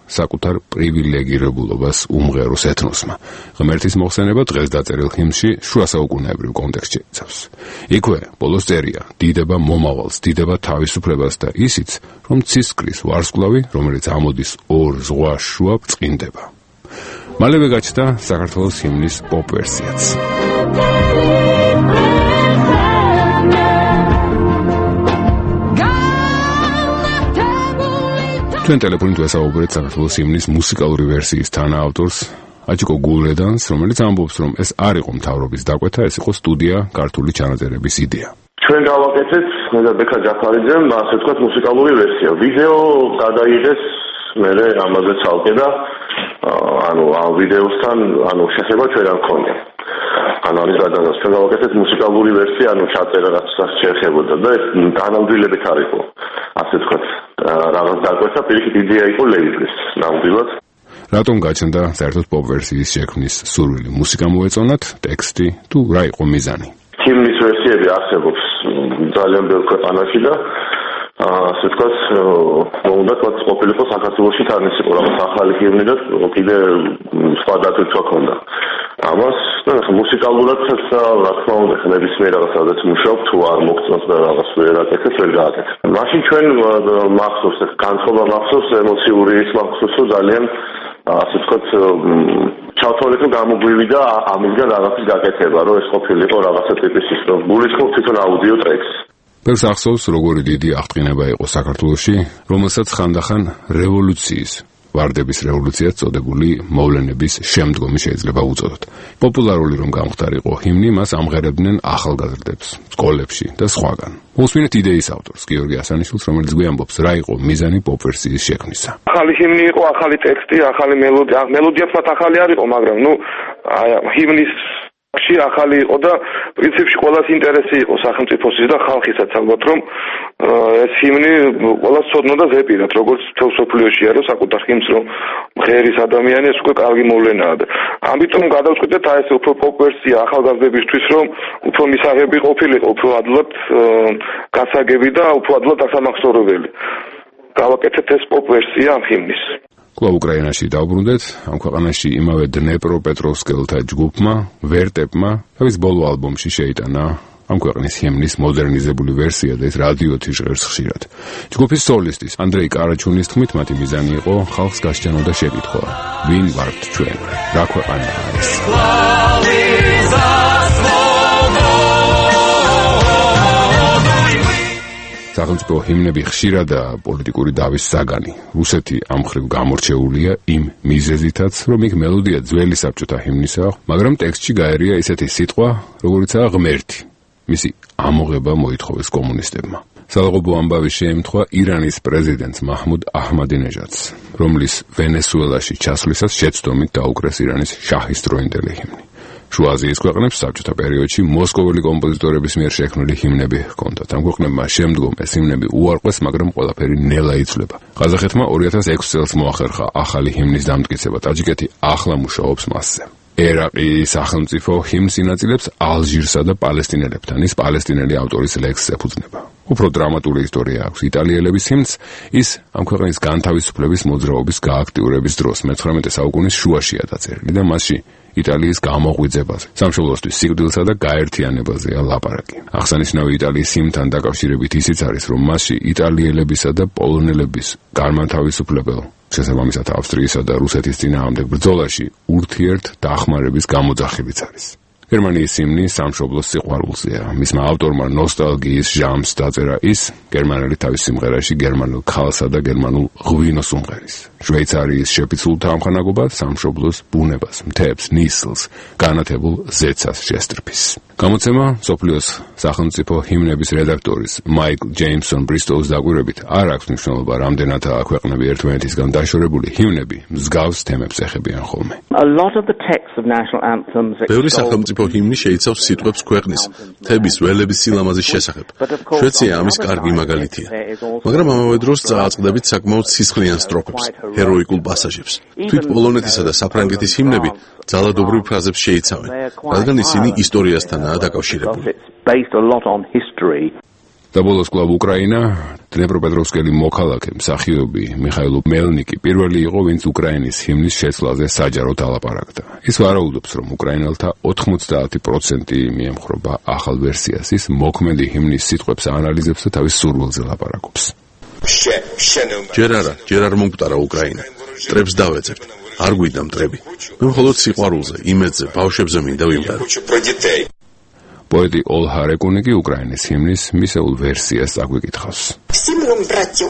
საკუთარ პრივილეგირებულობას უმღეროს ეთნოსმა. ღმერთის მოხსენება დღეს დაწერილ ჰიმნში შუასაუკუნეებრივ კონტექსტში იცავს. იქვე ბოლოს წერია: დიდება მომავალს, დიდება თავისუფლებას და ისიც, რომ ცისკრის ვარსკვლავი, რომელიც ამოდის ორ ზღვას შუა, ბრწყინდება. მალევე გაჩნდა საქართველოს ჰიმნის პოპ ვერსიაც. ჩვენ ტელეფონით ვესაუბრეთ საქართველოს ჰიმნის მუსიკალური ვერსიის თანაავტორს აჯიკო გულედანს, რომელიც ამბობს, რომ ეს არ იყო მთავრობის დაკვეთა, ეს იყო სტუდია ქართული ჩანაწერების იდეა. ჩვენ გავაკეთეთ მე და ბექა ჯაფარიძემ, ასე ვთქვათ, მუსიკალური ვერსია. ვიდეო გადაიღეს მერე ამაზე ცალკე და ანუ ამ ვიდეოსთან ანუ შეხება ჩვენ არ მქონია. ანუ არის გადაგას ჩვენ გავაკეთეთ მუსიკალური ვერსია, ანუ ჩაწერა რაც შეეხებოდა და ეს განამდვილებით არ იყო. ასე ვთქვათ, რაღაც დაკვეთა, პირიქით იდეა იყო ლეიბლის ნამდვილად. რატომ გაჩნდა საერთოდ პოპ ვერსიის შექმნის სურვილი? მუსიკა მოეწონათ, ტექსტი თუ რა იყო მიზანი? ჰიმნის ვერსიები არსებობს ძალიან ბევრ ქვეყანაში და ასე ვთქვათ, უნდა თქვათ ყოფილიყო საქართველოში თან ის იყო რაღაც ახალი ჰიმნი და კიდე სხვა დატვირთვა ჰქონდა. ამას და მუსიკალურად რა თქმა უნდა ნებისმიერ რაღაცადაც მუშაობ, თუ არ მოგწონს და რაღაც ვერ აკეთებს, ვერ გააკეთებ. მაშინ ჩვენ მახსოვს, განწყობა მახსოვს, ემოციური ის მახსოვს, რომ ძალიან ასე ვთქვათ ჩავთვალეთ, რომ გამოგვივიდა ამისგან რაღაცის გაკეთება, რომ ეს ყოფილიყო რაღაცა ტიპის ის, რომ გულისხმობ თვითონ აუდიო ტრეკს. ბევრს ახსოვს, როგორი დიდი აღტყინება იყო საქართველოში, რომელსაც ხანდახან რევოლუციის ვარდების რევოლუციაც წოდებული მოვლენების შემდგომი შეიძლება უწოდოთ. პოპულარული რომ გამختارიყო ჰიმნი, მას ამღერებდნენ ახალგაზრდებს, სკოლებში და სხვაგან. მოსმინეთ იდეის ავტორს, გიორგი ასანიშვილს, რომელიც გვიამბობს, რა იყო მიზანი პოპ ვერსიის შექმნისა. ახალი ჰიმნი იყო, ახალი ტექსტი, ახალი მელოდია. მელოდიაც მათ ახალი არ იყო, მაგრამ ნუ აი ჰიმნის ში ახალი იყო და პრინციპში ყოველას ინტერესი იყო სახელმწიფოსის და ხალხისაც ალბათ რომ ეს ჰიმნი ყოველას ცოდნა და ზეპირად როგორც თელ სოფლიოშია რომ საკუთარ ჰიმნს რომ ღერის ადამიანი ეს უკვე კარგი მოვლენაა და ამიტომ გადავწყვიტეთ აი ეს უფრო პოპ ვერსია ახალგაზრდებისთვის რომ უფრო მისაღები ყოფილიყო უფრო ადლად გასაგები და უფრო ადლად ასამახსოვრებელი გავაკეთეთ ეს პოპ ვერსია ამ ჰიმნის. კვლავ უკრაინაში დავბრუნდეთ, ამ ქვეყანაში იმავე დნეპროპეტროვსკელთა ჯგუფმა, ვერტეპმა, თავის ბოლო ალბომში შეიტანა ამ ქვეყნის ჰიმნის მოდერნიზებული ვერსია და ეს რადიოთი ჟღერს ხშირად. ჯგუფის სოლისტის ანდრეი კარაჩუნის თქმით, მათი მიზანი იყო ხალხს გასჯანოდა შეკითხვა: ვინ ვართ ჩვენ? რა ქვეყანა არის? სახელმწიფო ჰიმნები ხშირადაა პოლიტიკური დავის საგანი. რუსეთი ამ მხრივ გამორჩეულია იმ მიზეზითაც, რომ იქ მელოდია ძველი საბჭოთა ჰიმნისაა, მაგრამ ტექსტში გაერია ისეთი სიტყვა, როგორიცაა ღმერთი. მისი ამოღება მოითხოვეს კომუნისტებმა. სალაღობო ამბავი შეემთხვა ირანის პრეზიდენტს მაჰმუდ აჰმადინეჟადს, რომლის ვენესუელაში ჩასვლისას შეცდომით დაუკრეს ირანის შაჰის დროინდელი ჰიმნი. შუა აზიის ქვეყნებს საბჭოთა პერიოდში მოსკოველი კომპოზიტორების მიერ შექმნილი ჰიმნები ჰქონდათ. ამ ქვეყნებმა შემდგომ ეს ჰიმნები უარყვეს, მაგრამ ყველაფერი ნელა იცვლება. ყაზახეთმა ორი ათას ექვსი წელს მოახერხა ახალი ჰიმნის დამტკიცება. ტაჯიკეთი ახლა მუშაობს მასზე. ერაყი სახელმწიფო ჰიმნს ინაწილებს ალჟირსა და პალესტინელებთან. ის პალესტინელი ავტორის ლექსს ეფუძნება. უფრო დრამატული ისტორია აქვს იტალიელების ჰიმნს, ის ამ ქვეყნის განთავისუფლების მოძრაობის გააქტიურების დროს მეცხრამეტე საუკუნის შუაშია დაწერილი და მასში იტალიის გამოღვიძებაზე, სამშობლოსთვის სიკვდილსა და გაერთიანებაზეა ლაპარაკი. აღსანიშნავი იტალიის ჰიმნთან დაკავშირებით ისიც არის, რომ მასში იტალიელებისა და პოლონელების განმათავისუფლებელ, შესაბამისად ავსტრიისა და რუსეთის წინააღმდეგ ბრძოლაში ურთიერთ დახმარების გამოძახებიც არის. გერმანიის ჰიმნი სამშობლოს სიყვარულზეა. მისმა ავტორმა ნოსტალგიის ჟამს დაწერა ის, გერმანელი თავის სიმღერაში გერმანულ ქალსა და გერმანულ ღვინოს უმღერის. შვეიცარიის შეფიცულ თანხმოვნებად სამშობლოს ბუნებას, მთებს, ნისლს, განათებულ ზეცას შესტრფის. გამოცემა მსოფლიოს სახელმწიფო ჰიმნების რედაქტორის მაიკლ ჯეიმსონ ბრისტოუს დაკვირვებით არ აქვს მნიშვნელობა, რამდენადაა ქვეყნები ერთმანეთისგან დაშორებული, ჰიმნები მსგავს თემებს ეხებიან ხოლმე. ბევრი სახელმწიფო ჰიმნი შეიცავს სიტყვებს ქვეყნის, მთების, ველების სილამაზის შესახებ. შვეიცარია ამის კარგი მაგალითია. მაგრამ ამავე დროს წააწყდებით საკმაოდ სისხლიან სტროფებს, ჰეროიკულ პასაჟებს. თვით პოლონეთისა და საფრანგეთის ჰიმნები ძალადობრივ ფრაზებს შეიცავენ, რადგან ისინი ისტორიასთანაა დაკავშირებული. და ბოლოს კლუბ უკრაინა, დნეპროპეტროვსკელი მოქალაქე, მსახიობი მიხაილ მელნიკი პირველი იყო, ვინც უკრაინის ჰიმნის შეცვლაზე საჯაროდ ალაპარაკდა. ის ვარაუდობს, რომ უკრაინელთა ოთხმოცდაათი პროცენტი მიემხრობა ახალ ვერსიას, ის მოქმედი ჰიმნის სიტყვებს აანალიზებს და თავის სურვილზე ლაპარაკობს. ჯერ არა, ჯერ არ მომკვდარა უკრაინა. მტრებს დავეძებთ. არ გვიდა მტრები. მე მხოლოდ სიყვარულზე, იმედზე, ბავშვებზე მინდა ვიმღერო. პოეტი ოლჰა რეკუნიკი უკრაინის ჰიმნის მისეულ ვერსიას აგვიკითხავს.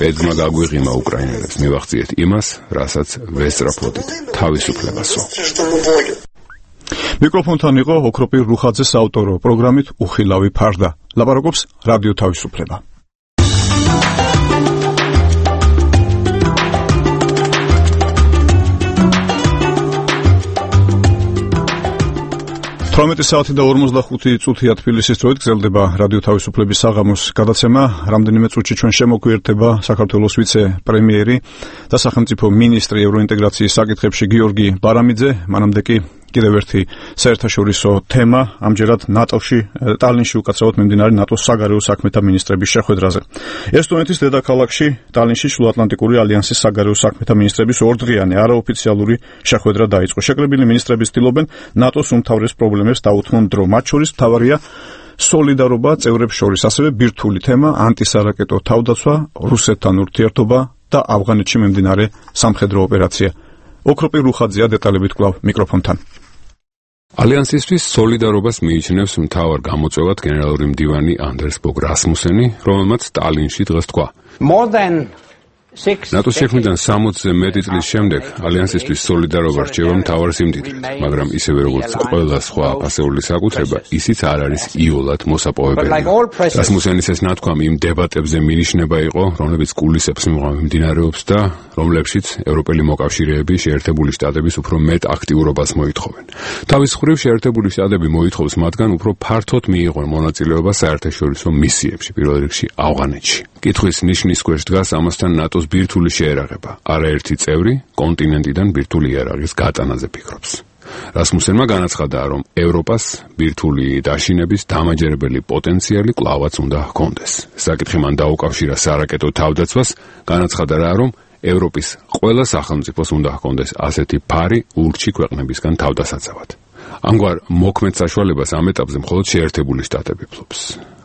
ბედმა გაგვიღიმა უკრაინელებს, მივახციეთ იმას, რასაც ვესწრაფოდით, თავისუფლებასო. მიკროფონთან იყო ოქროპირ რუხაძეს ავტორო პროგრამით უხილავი ფარდა. ლაპარაკობს რადიო თავისუფლება. თორმეტი საათი და ორმოცდახუთი წუთია თბილისის დროით გრძელდება რადიო თავისუფლების საღამოს გადაცემა. რამდენიმე წუთში ჩვენ შემოგვიერთება საქართველოს ვიცე-პრემიერი და სახელმწიფო მინისტრი ევროინტეგრაციის საკითხებში გიორგი ბარამიძე. მანამდე კი კიდევ ერთი საერთაშორისო თემა, ამჯერად ნატოში, ტალინში უკაცრავად მიმდინარე ნატოს საგარეო საქმეთა მინისტრების შეხვედრაზე. ესტონეთის დედაქალაქში, ტალინში შუაატლანტიკური ალიანსის საგარეო საქმეთა მინისტრების ორდღიანი არაოფიციალური შეხვედრა დაიწყო. შეკრებილი მინისტრები ცდილობენ ნატოს უმთავრეს პრობლემებს დაუთმონ დრო. მათ შორის მთავარია სოლიდარობა წევრებს შორის, ასევე ბირთვული თემა ანტისარაკეტო თავდაცვა, რუსეთთან ურთიერთობა და ავღანეთში მიმდინარე სამხედრო ოპერაცია. ოქროპირ რუხაძეა დეტალებით კვლავ მიკროფონთან. ალიანსისთვის სოლიდარობას მიიჩნევს მთავარ გამოწვევად გენერალური მდივანი ანდერს ბოგ რასმუსენი, რომელმაც ტალინში დღეს თქვა. ნატოს შექმნიდან სამოცზე მეტი წლის შემდეგ ალიანსისთვის სოლიდარობა რჩება მთავარ სიმდიდრედ, მაგრამ ისევე როგორც ყველა სხვა აფასეული საკუთრება, ისიც არ არის იოლად მოსაპოვებელი. რასმუსენის ეს ნათქვამი იმ დებატებზე მინიშნება იყო, რომლებიც კულისებს მიმდინარეობს და რომლებშიც ევროპელი მოკავშირეები შეერთებული შტატების უფრო მეტ აქტიურობას მოითხოვენ. თავის მხრივ შეერთებული შტატები მოითხოვს მათგან უფრო ფართოდ მიიღონ მონაწილეობა საერთაშორისო მისიებში, პირველ რიგში ავღანეთში. კითხვის ნიშნის ქვეშ დგას ამასთან ნატოს ბირთვული შეერაღება. არაერთი წევრი კონტინენტიდან ბირთვული იარაღის გატანაზე ფიქრობს. რასმუსენმა განაცხადა, რომ ევროპას ბირთვული დაშინების დამაჯერებელი პოტენციალი კვლავაც უნდა ჰქონდეს. საკითხი მან დაუკავშირა სარაკეტო თავდაცვას, განაცხადა რა, რომ ევროპის ყველა სახელმწიფოს უნდა ჰქონდეს ასეთი ფარი ურჩი ქვეყნებისგან თავდასაცავად. ამგვარ მოქმედ საშუალებას ამ ეტაპზე მხოლოდ შეერთებული შტატები ფლობს.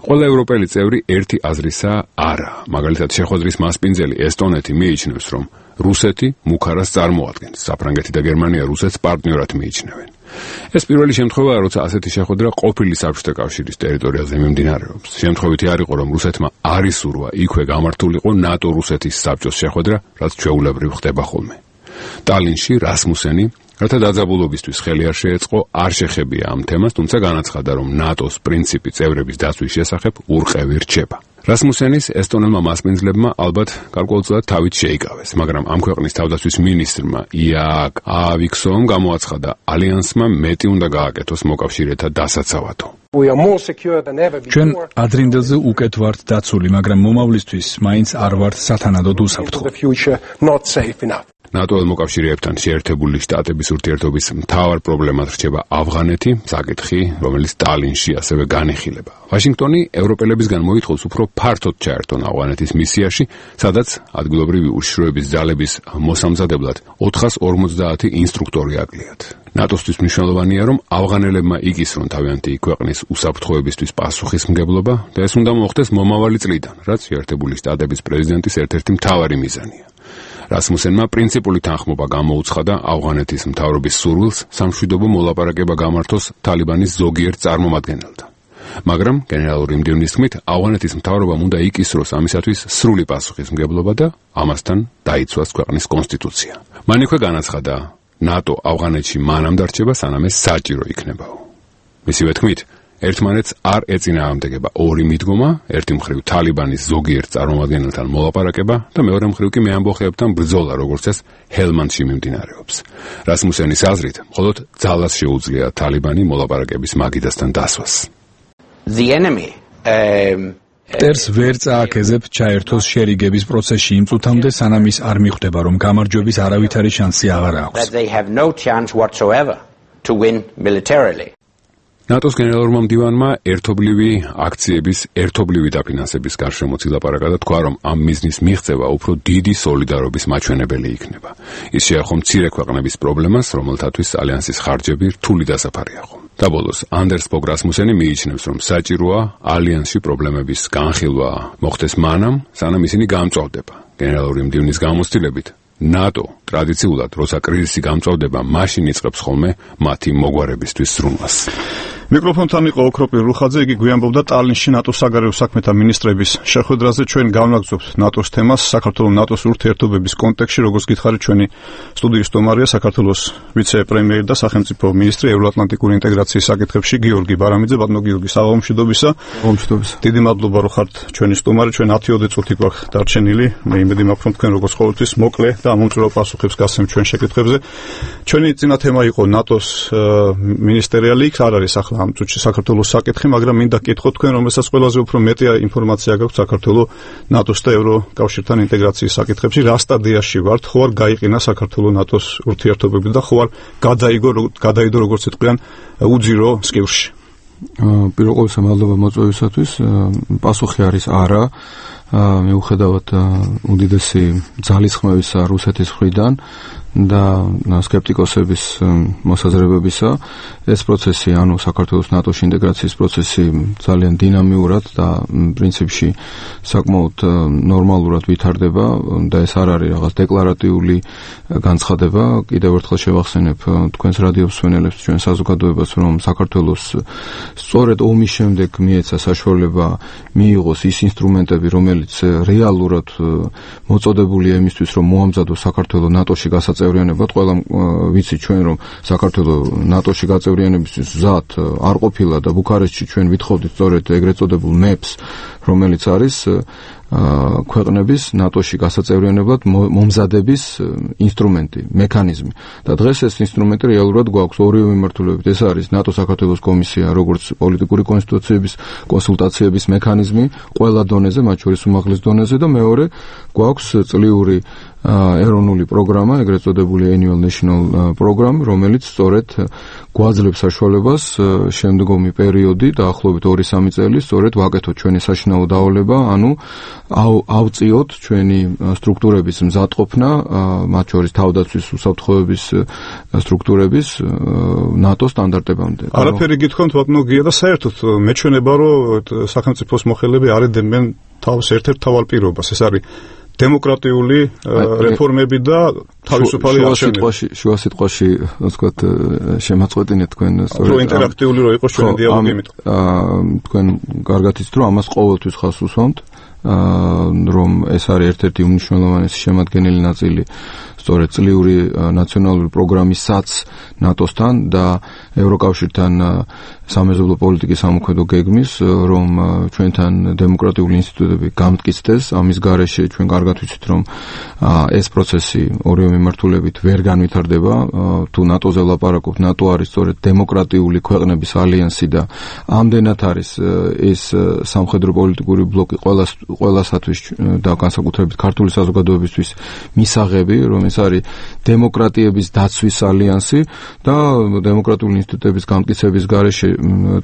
ყველა ევროპელი წევრი ერთი აზრისაა არა. მაგალითად, შეხვედრის მასპინძელი ესტონეთი მიიჩნევს, რომ რუსეთი მუქარას წარმოადგენს. საფრანგეთი და გერმანია რუსეთს პარტნიორად მიიჩნევენ. ეს პირველი შემთხვევაა, როცა ასეთი შეხვედრა ყოფილი საბჭოთა კავშირის ტერიტორიაზე მიმდინარეობს. შემთხვევითი არ იყო, რომ რუსეთმა არ ისურვა იქვე გამართულიყო ნატო-რუსეთის საბჭოს შეხვედრა, რაც ჩვეულებრივ ხდება ხოლმე. ტალინში რასმუსენი რათა დაძაბულობისთვის ხელი არ შეეწყო, არ შეხებია ამ თემას, თუმცა განაცხადა, რომ ნატოს პრინციპი წევრების დაცვის შესახებ ურყევი რჩება. რასმუსენის ესტონელმა მასპინძლებმა ალბათ გარკვეულწილად თავით შეიკავეს, მაგრამ ამ ქვეყნის თავდაცვის მინისტრმა იაკ აავიქსომ გამოაცხადა, ალიანსმა მეტი უნდა გააკეთოს მოკავშირეთა დასაცავადო. ჩვენ ადრინდელზე უკეთ ვართ დაცული, მაგრამ მომავლისთვის მაინც არ ვართ სათანადოდ უსაფრთხო. ნატო მოკავშირეებთან შეერთებული შტატების ურთიერთობის მთავარ პრობლემად რჩება ავღანეთი, საკითხი, რომელიც ტალინში ასევე განიხილება. ვაშინგტონი ევროპელებისგან მოითხოვს უფრო ფართოდ ჩაერთონ ავღანეთის მისიაში, სადაც ადგილობრივი უშიშროების ძალების მოსამზადებლად ოთხას ორმოცდაათი ინსტრუქტორი აკლიათ. ნატოსთვის მნიშვნელოვანია, რომ ავღანელებმა იკისრონ თავიანთი ქვეყნის უსაფრთხოებისთვის პასუხისმგებლობა და ეს უნდა მოხდეს მომავალი წლიდან, რაც შეერთებული შტატების პრეზიდენტის ერთ-ერთი მთავარი მიზანია. რასმუსენმა პრინციპული თანხმობა გამოუცხადა ავღანეთის მთავრობის სურვილს სამშვიდობო მოლაპარაკება გამართოს თალიბანის ზოგიერთ წარმომადგენელთან. მაგრამ გენერალური მდივნის თქმით, ავღანეთის მთავრობამ უნდა იკისროს ამისათვის სრული პასუხისმგებლობა და ამასთან დაიცვას ქვეყნის კონსტიტუცია. მან იქვე განაცხადა, ნატო ავღანეთში მანამ დარჩება, სანამ ეს საჭირო იქნებაო. მისივე თქმით, ერთმანეთს არ ეწინააღმდეგება ორი მიდგომა, ერთი მხრივ თალიბანის ზოგიერთ წარმომადგენელთან მოლაპარაკება და მეორე მხრივ კი მეამბოხეებთან ბრძოლა, როგორც ეს ჰელმანდში მიმდინარეობს. რასმუსენის აზრით, მხოლოდ ძალას შეუძლია თალიბანი მოლაპარაკების მაგიდასთან დასვას. The enemy um ტერს ვერ წააქეზებ ჩაერთოს შერიგების პროცესში იმ წუთამდე, სანამ ის არ მიხვდება, რომ გამარჯვების არავითარი შანსი აღარ აქვს. that they have no chance whatsoever to win militarily. ნატოს გენერალურმა მდივანმა ერთობლივი აქციების ერთობლივი დაფინანსების გარშემო ილაპარაკა და თქვა, რომ ამ მიზნის მიღწევა უფრო დიდი სოლიდარობის მაჩვენებელი იქნება. ის შეეხო მცირე ქვეყნების პრობლემას, რომელთათვის ალიანსის ხარჯები რთული დასაფარია ხო. და ბოლოს ანდერს ფოგ რასმუსენი მიიჩნევს, რომ საჭიროა ალიანსში პრობლემების განხილვა მოხდეს მანამ, სანამ ისინი გამწვავდება. გენერალური მდივნის გამოცდილებით ნატო ტრადიციულად, როცა კრიზისი გამწვავდება, მაშინ იწყებს ხოლმე მათი მოგვარებისთვის ზრუნვას. მიკროფონთან იყო ოქროპირ რუხაძე, იგი გვიამბობდა ტალინში ნატოს საგარეო საქმეთა მინისტრების შეხვედრაზე. ჩვენ განვაგრძობთ ნატოს თემას საქართველოს ნატოს ურთიერთობების კონტექსტში, როგორც გითხარით, ჩვენი სტუდიის სტუმარია საქართველოს ვიცე-პრემიერი და სახელმწიფო მინისტრი ევროატლანტიკური ინტეგრაციის საკითხებში გიორგი ბარამიძე. ბატონო გიორგი, საღამომშვიდობისა. საღამომშვიდობისა. დიდი მადლობა, რომ ხართ ჩვენი სტუმარი. ჩვენ ათი ოცი წუთი გვაქვს დარჩენილი. მე იმედი მაქვს, რომ თქვენ როგორც ყოველთვის მოკლე და ამომწურო პასუხებს გასცემთ ჩვენ შეკითხვებზე. ჩვენი წინა თემა იყო ნატოს მინისტერიალი, იქ არ არის ახლა ამ წუთში საქართველოს საკითხი, მაგრამ მინდა გკითხოთ თქვენ, რომელსაც ყველაზე უფრო მეტი ინფორმაცია გაქვთ საქართველოს ნატოს და ევროკავშირთან ინტეგრაციის საკითხებში, რა სტადიაში ვართ, ხო არ გაიყინა საქართველოს ნატოს ურთიერთობები და ხო არ გადაიგო გადაიდო როგორც იტყვიან უძირო სკივრში. პირველ ყოვლისა მადლობა მოწვევისათვის. პასუხი არის არა. მიუხედავად უდიდესი ძალისხმევისა რუსეთის მხრიდან და სკეპტიკოსების მოსაზრებებისა, ეს პროცესი, ანუ საქართველოს ნატოს ინტეგრაციის პროცესი ძალიან დინამიურად და პრინციპში საკმაოდ ნორმალურად ვითარდება და ეს არ არის რაღაც დეკლარატიული განცხადება. კიდევ ერთხელ შევახსენებ თქვენს რადიო მსმენელებს, ჩვენ საზოგადოებას, რომ საქართველოს სწორედ ომის შემდეგ მიეცა საშუალება მიიღოს ის ინსტრუმენტები, რომელიც რეალურად მოწოდებულია იმისთვის, რომ მოამზადოს საქართველოს ნატოში გასაწევრიანებლად. ყველა ვიცით ჩვენ, რომ საქართველოს ნატოში გაწევრიანებისთვის მზად არ ყოფილა და ბუქარესტში ჩვენ ვითხოვდით სწორედ ეგრეთ წოდებულ ნეპს, რომელიც არის ქვეყნების ნატოში გასაწევრიანებლად მომზადების ინსტრუმენტი, მექანიზმი. და დღეს ეს ინსტრუმენტი რეალურად გვაქვს ორივე მიმართულებით. ეს არის ნატო საქართველოს კომისია, როგორც პოლიტიკური კონსტიტუციების კონსულტაციების მექანიზმი ყველა დონეზე, მათ შორის უმაღლეს დონეზე და მეორე გვაქვს წლიური ეროვნული პროგრამა, ეგრეთ წოდებული Annual National Program, რომელიც სწორედ გვაძლევს საშუალებას შემდგომი პერიოდი, დაახლოებით ორი სამი წელი, სწორედ ვაკეთოთ ჩვენი საშინაო დავალება, ანუ ავწიოთ ჩვენი სტრუქტურების მზადყოფნა, მათ შორის თავდაცვის უსაფრთხოების სტრუქტურების ნატოს სტანდარტებამდე. არაფერი გითხოვთ ბატონო გია და საერთოდ მეჩვენება, რომ სახელმწიფოს მოხელეები არ ეძებენ თავს ერთ-ერთ თავალ პირობას. ეს არის დემოკრატიული რეფორმები და თავისუფალი არჩევნები. შუა სიტყვაში, ასე ვთქვათ, შემაწყვეტინეთ თქვენ სწორედ. რო ინტერაქტიული რო იყოს ჩვენი დიალოგი იმით. თქვენ კარგად იცით, რომ ამას ყოველთვის ხაზს უსვამთ, რომ ეს არის ერთ-ერთი უმნიშვნელოვანესი შემადგენელი ნაწილი სწორედ წლიური ნაციონალური პროგრამისაც ნატოსთან და ევროკავშირთან სამეზობლო პოლიტიკის სამოქმედო გეგმის, რომ ჩვენთან დემოკრატიული ინსტიტუტები გამტკიცდეს. ამის გარეშე ჩვენ კარგად ვიცით, რომ ეს პროცესი ორივე მიმართულებით ვერ განვითარდება. თუ ნატოზე ვლაპარაკობთ, ნატო არის სწორედ დემოკრატიული ქვეყნების ალიანსი და ამდენად არის ეს სამხედრო პოლიტიკური ბლოკი ყველა ყველასათვის და განსაკუთრებით ქართული საზოგადოებისთვის მისაღები, რომ ეს არის დემოკრატიების დაცვის ალიანსი და დემოკრატიული ინსტიტუტების გამტკიცების გარეშე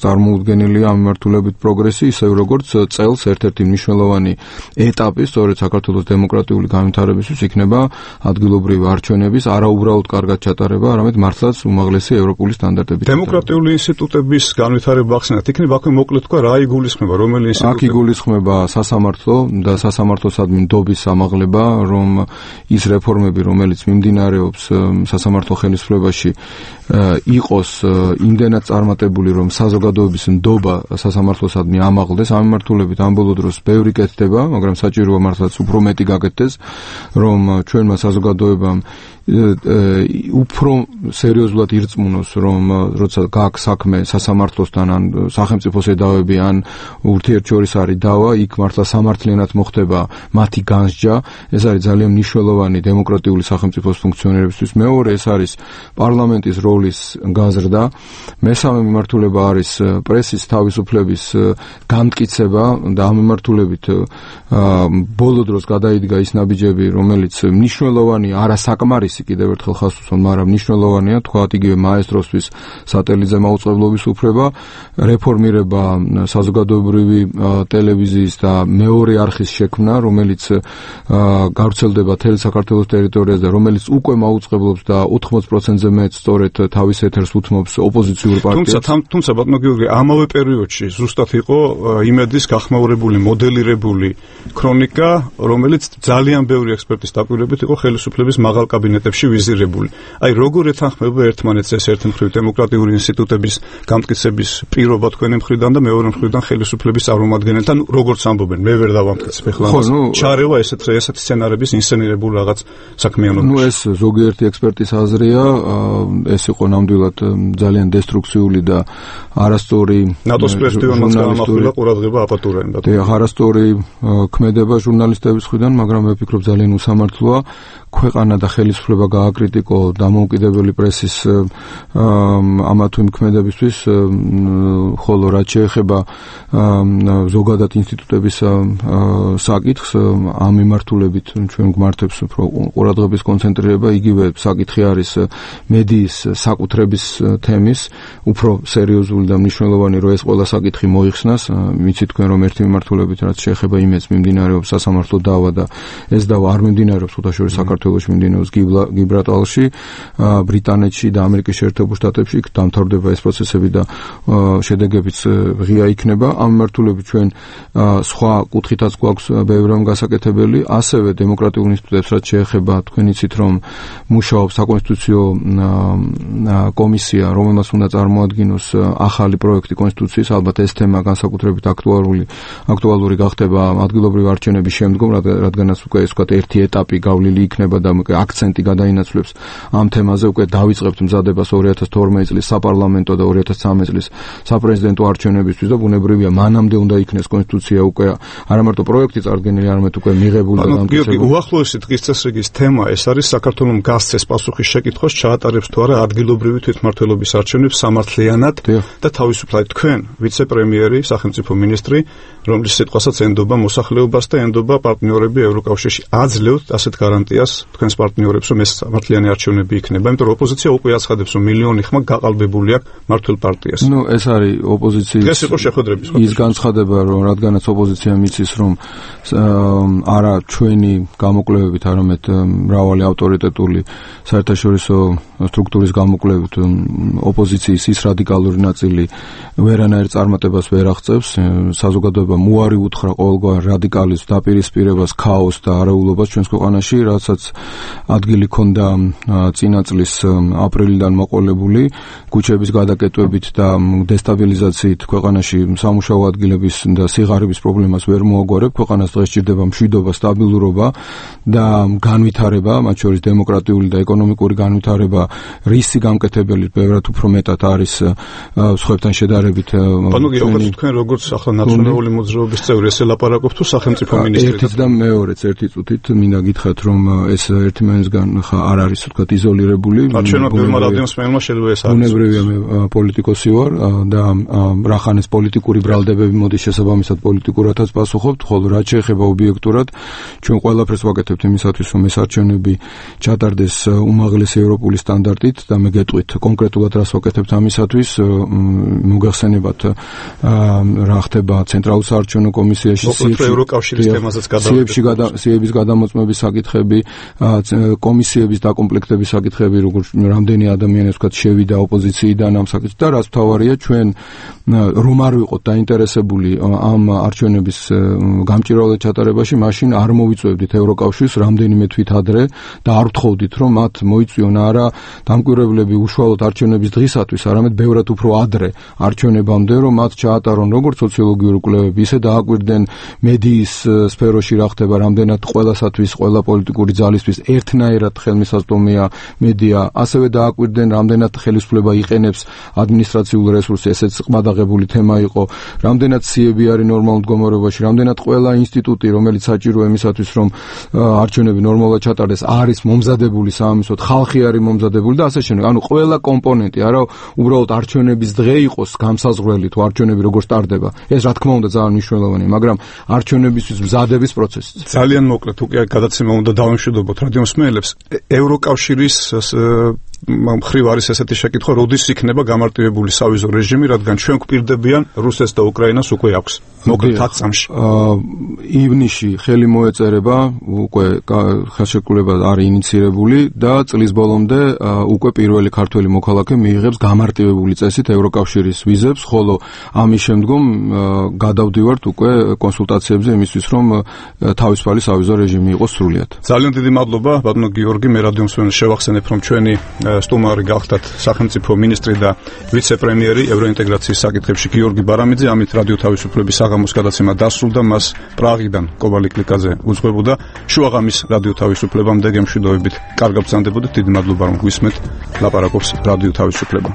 წარმოუდგენელია ამ მიმართულებით პროგრესი, ისევ როგორც წელს ერთ-ერთი მნიშვნელოვანი ეტაპი სწორედ საქართველოს დემოკრატიული განვითარებისთვის იქნება ადგილობრივი არჩევნების არაუბრალოდ კარგად ჩატარება, არამედ მართლაც უმაღლესი ევროპული სტანდარტებით. დემოკრატიული ინსტიტუტების განვითარება ახსენეთ, იქნება აქვე მოკლედ თქვა რა იგულისხმება, რომელი ინსტიტუტები? აქ იგულისხმება სასამართლო სასამართლო და სასამართლოსადმი ნდობის ამაღლება, რომ ის რეფორმები, რომელიც მიმდინარეობს სასამართლო ხელისუფლებაში, იყოს იმდენად წარმატებული, რომ საზოგადოების ნდობა სასამართლოსადმი ამაღლდეს. ამ მიმართულებით ამ ბოლო დროს ბევრი კეთდება, მაგრამ საჭიროა მართლაც უფრო მეტი გაკეთდეს, რომ ჩვენმა საზოგადოებამ უფრო სერიოზულად ირწმუნოს, რომ როცა გააქვს საქმე სასამართლოსთან ან სახელმწიფოს ედავები ან ურთიერთშორის არის დავა, იქ მართლა სამართლიანად მოხდება მათი განსჯა. ეს არის ძალიან მნიშვნელოვანი დემოკრატიული სახელმწიფოს ფუნქციონირებისთვის. მეორე, ეს არის პარლამენტის როლის გაზრდა. მესამე მიმართულება არის პრესის თავისუფლების განმტკიცება და ამ მიმართულებით ბოლო დროს გადაიდგა ის ნაბიჯები, რომელიც მნიშვნელოვანი არასაკმარისი კიდევ ერთხელ ხას უსვამ, მაგრამ მნიშვნელოვანია, თქვათ იგივე მაესტროსთვის სატელიტზე მაუწყებლობის უფლება, რეფორმირება საზოგადოებრივი ტელევიზიის და მეორე არხის შექმნა, რომელიც გავრცელდება მთელ საქართველოს ტერიტორიაზე და რომელიც უკვე მაუწყებლობს და ოთხმოცდ პროცენტზე მეტ სწორედ თავის ეთერს უთმობს ოპოზიციურ პარტიებს. თუმცა თუმცა ბატონო გიორგი, ამავე პერიოდში ზუსტად იყო იმედის გახმაურებული, მოდელირებული ქრონიკა, რომელიც ძალიან ბევრი ექსპერტის დაკვირვებით იყო ხელისუფლების მაღალ კაბინეტებში ვიზირებული. აი, როგორ ეთანხმება ერთმანეთს ეს ერთი მხრივ დემოკრატიული ინსტიტუტების გამტკიცების პირობა თქვენი მხრიდან და მეორე მხრიდან ხელისუფლების წარმომადგენელთან, როგორც ამბობენ, მე ვერ დავამტკიცებ ახლა. ჩარევა ესეთ ესეთ სცენარების ინსცენირებულ რაღაც საქმიანობაში. ნუ ეს ზოგიერთი ექსპერტის აზრია, ეს იყო ნამდვილად ძალიან დესტრუქციული და არასწორი ნატოს პრეზიდენტმა გამახვილა ყურადღება აპატურებდა. და არასწორი ქმედება ჟურნალისტების მხრიდან, მაგრამ მე ვფიქრობ ძალიან უსამართლოა ქვეყანა და ხელისუფლება გააკრიტიკო დამოუკიდებელი პრესის ამა თუ იმ ქმედებისთვის, ხოლო რაც შეეხება ზოგადად ინსტიტუტების საკითხს, ამ მიმართულებით ჩვენ გვმართებს უფრო ყურადღების კონცენტრირება. იგივე საკითხი არის მედიის საკუთრების თემის, უფრო სერიოზული და მნიშვნელოვანი, რომ ეს ყველა საკითხი მოიხსნას. ვიცით თქვენ, რომ ერთი მიმართულებით რაც შეეხება იმედს მიმდინარეობს სასამართლო დავა და ეს დავა არ მიმდინარეობს ხუთშორის საქართველოში, მიმდინარეობს გიბრალტარში, ბრიტანეთში და ამერიკის შეერთებულ შტატებში. იქ დამთავრდება ეს პროცესები და შედეგებიც ღია იქნება. ამ მიმართულებით ჩვენ სხვა კუთხითაც გვაქვს ბევრი რამ გასაკეთებელი, ასევე დემოკრატიულ ინსტიტუტებს რაც შეეხება, თქვენ იცით, რომ მუშაობს საკონსტიტუციო კომისია, რომელმაც უნდა წარმოადგინოს ახალი პროექტი კონსტიტუციის. ალბათ ეს თემა განსაკუთრებით აქტუალური აქტუალური გახდება ადგილობრივი არჩევნების შემდგომ, რადგანაც უკვე ეს ვთქვათ ერთი ეტაპი გავლილი იქნება და აქცენტი გადაინაცვლებს ამ თემაზე. უკვე დავიწყებთ მზადებას ორი ათას თორმეტი წლის საპარლამენტო და ორი ათას ცხრამეტი წლის საპრეზიდენტო არჩევნებისთვის და ბუნებრივია მანამდე უნდა იქნეს კონსტიტუცია უკვე არა მარტო პროექტი წარდგენილი, არამედ უკვე მიღებული და დამტკიცებული. უახლოესი დღის წესრიგის თემა ეს არის საქართველოს გასცეს პასუხის შეკითხვას, ჩაატარებს თუ არა ადგილობრივი თვითმმართველობის არჩევნებს სამართლიანად და თავისუფლად. თქვენ ვიცე-პრემიერი, სახელმწიფო მინისტრი, რომლის სიტყვასაც ენდობა მოსახლეობას და ენდობა პარტნიორები ევროკავშირში, აძლევთ ასეთ გარანტიას თქვენს პარტნიორებს, რომ ეს სამართლიანი არჩევნები იქნება, იმიტომ რომ ოპოზიცია უკვე აცხადებს, რომ მილიონი ხმა გაყალბებული აქვს მართლ პარტიას. ნუ ეს არის ოპოზიციის ეს იყო შეხვედრების ის განცხადება, რომ რადგანაც ოპოზიცია მიცის, რომ არა ჩვენი გამოკვლევებით, არამედ მრავალი ავტორიტეტული საერთაშორისო სტრუქტურის გამოკვლევით ოპოზიციის ის რადიკალური ნაწილი ვერანაირ წარმატებას ვერ აღწევს. საზოგადოებამ უარი უთხრა ყოველგვარ რადიკალიზმს, დაპირისპირებას, ქაოსს და არეულობას ჩვენს ქვეყანაში, რასაც ადგილი ჰქონდა წინა წლის აპრილიდან მოყოლებული ქუჩების გადაკეტვებით და დესტაბილიზაციით ქვეყანაში სამუშაო ადგილების და სიღარიბის პრობლემას ვერ მოაგვარებ. ქვეყანას დღეს სჭირდება მშვიდობა, სტაბილურობა და განვითარება, მათ შორის დემოკრატიული და ეკონომიკური განვითარება, რისი გამკეთებელი ბევრად უფრო მეტად არის სხვებთან შედარებით. ანუ გიორგი, თქვენ როგორც ახლა ნაციონალური მოძრაობის წევრი ეს ელაპარაკობთ თუ სახელმწიფო მინისტრი? ერთიც და მეორეც ერთი წუთით მინდა გითხრათ, რომ ეს ერთმანეთსგან ხა არ არის ვთქვათ იზოლირებული. ჩვენმა ბევრმა რადიოსმენელმა შეიძლება ეს არის. ბუნებრივია, მე პოლიტიკოსი ვარ და რახანეს პოლიტიკური ბრალდებები მოდის შესაბამისად პოლიტიკურადაც პასუხობთ, ხოლო რაც შეეხება ობიექტურად, ჩვენ ყველაფერს ვაკეთებთ იმისათვის, რომ ეს არჩევნები ჩატარდეს უმაღლესი ევროპული სტანდარტით და მე გეტყვით კონკრეტულად რას ვაკეთებთ ამისათვის. მოგახსენებათ რა ხდება ცენტრალურ საარჩევნო კომისიაში ევროკავშირის თემაზეც გადავიდა სიების გადამოწმების საკითხები, კომისიების დაკომპლექტების საკითხები, როგორც რამდენი ადამიანი ვთქვათ შევიდა ოპოზიციიდან ამ საკითხს და რაც მთავარია ჩვენ რომ არ ვიყოთ დაინტერესებული ამ არჩევნების გამჭირვალედ ჩატარებაში, მაშინ არ მოვიწვევდით ევროკავშირს რამდენიმე თვით ადრე და არ ვთხოვდით რომ მათ მოიწვიონ არა დამკვირვებლები უშუალოდ არჩევნების დღისათვის, არამედ ბევრად უფრო ადრე არჩევნებამდე, რომ მათ ჩაატარონ როგორც სოციოლოგიური კვლევები, ისე დააკვირდნენ მედიის სფეროში რა ხდება, რამდენად ყველასათვის, ყველა პოლიტიკური ძალისთვის ერთნაირად ხელმისაწვდომია მედია, ასევე დააკვირდნენ რამდენად ხელისუფლება იყენებს ადმინისტრაციულ რესურსს, ესეც ყმადაღებული თემა იყო, რამდენად სიები არის ნორმალურ მდგომარეობაში, რამდენად ყველა ინსტიტუტი, რომელიც საჭიროა იმისათვის, რომ არჩევნები ნორმალურად ჩატარდეს, არის მომზადებული საამისოდ, ხალხი არის მომზადებული და ასე შემდეგ. ანუ ყველა კომპონენტი, არა უბრალოდ არჩევნების დღე იყოს გამსაზღვრელი თუ არჩევნები როგორ სტარდება. ეს რა თქმა უნდა ძალიან მნიშვნელოვანია, მაგრამ არჩევნებისთვის მზადების პროცესი. ძალიან მოკლედ, უკვე გადაცემა უნდა დავამშვიდობოთ რადიომსმენელებს. ევროკავშირის მხრივ არის ესეთი შეკითხვა, როდის იქნება გამარტივებული სავიზო რეჟიმი, რადგან ჩვენ გვპირდებიან რუსეთს და უკრაინას უკვე აქვს. მოკლედ ათ წამში. ივნისში ხელი მოეწერება, უკვე ხელშეკრულება არის ინიცირებული და წლის ბოლომდე უკვე პირველი ქართველი მოქალაქე მიიღებს გამარტივებული წესით ევროკავშირის ვიზებს, ხოლო ამის შემდგომ გადავდივართ უკვე კონსულტაციებზე იმისთვის, რომ თავისუფალი სავიზო რეჟიმი იყოს სრულიად. ძალიან დიდი მადლობა, ბატონო გიორგი, მე რადიომსმენელს შევახსენებ, რომ ჩვენი სტუმარი გახდათ სახელმწიფო მინისტრი და ვიცე-პრემიერი ევროინტეგრაციის საკითხებში გიორგი ბარამიძე. ამით რადიო თავისუფლების საღამოს გადაცემა დასრულდა, მას პრაღიდან კობალი კლიკაძე უძღვებოდა. შუაღამის რადიო თავისუფლებამდე გემშვიდობებით. კარგად ბრძანდებოდეთ, დიდი მადლობა რომ გვისმენთ. ლაპარაკობს რადიო თავისუფლება.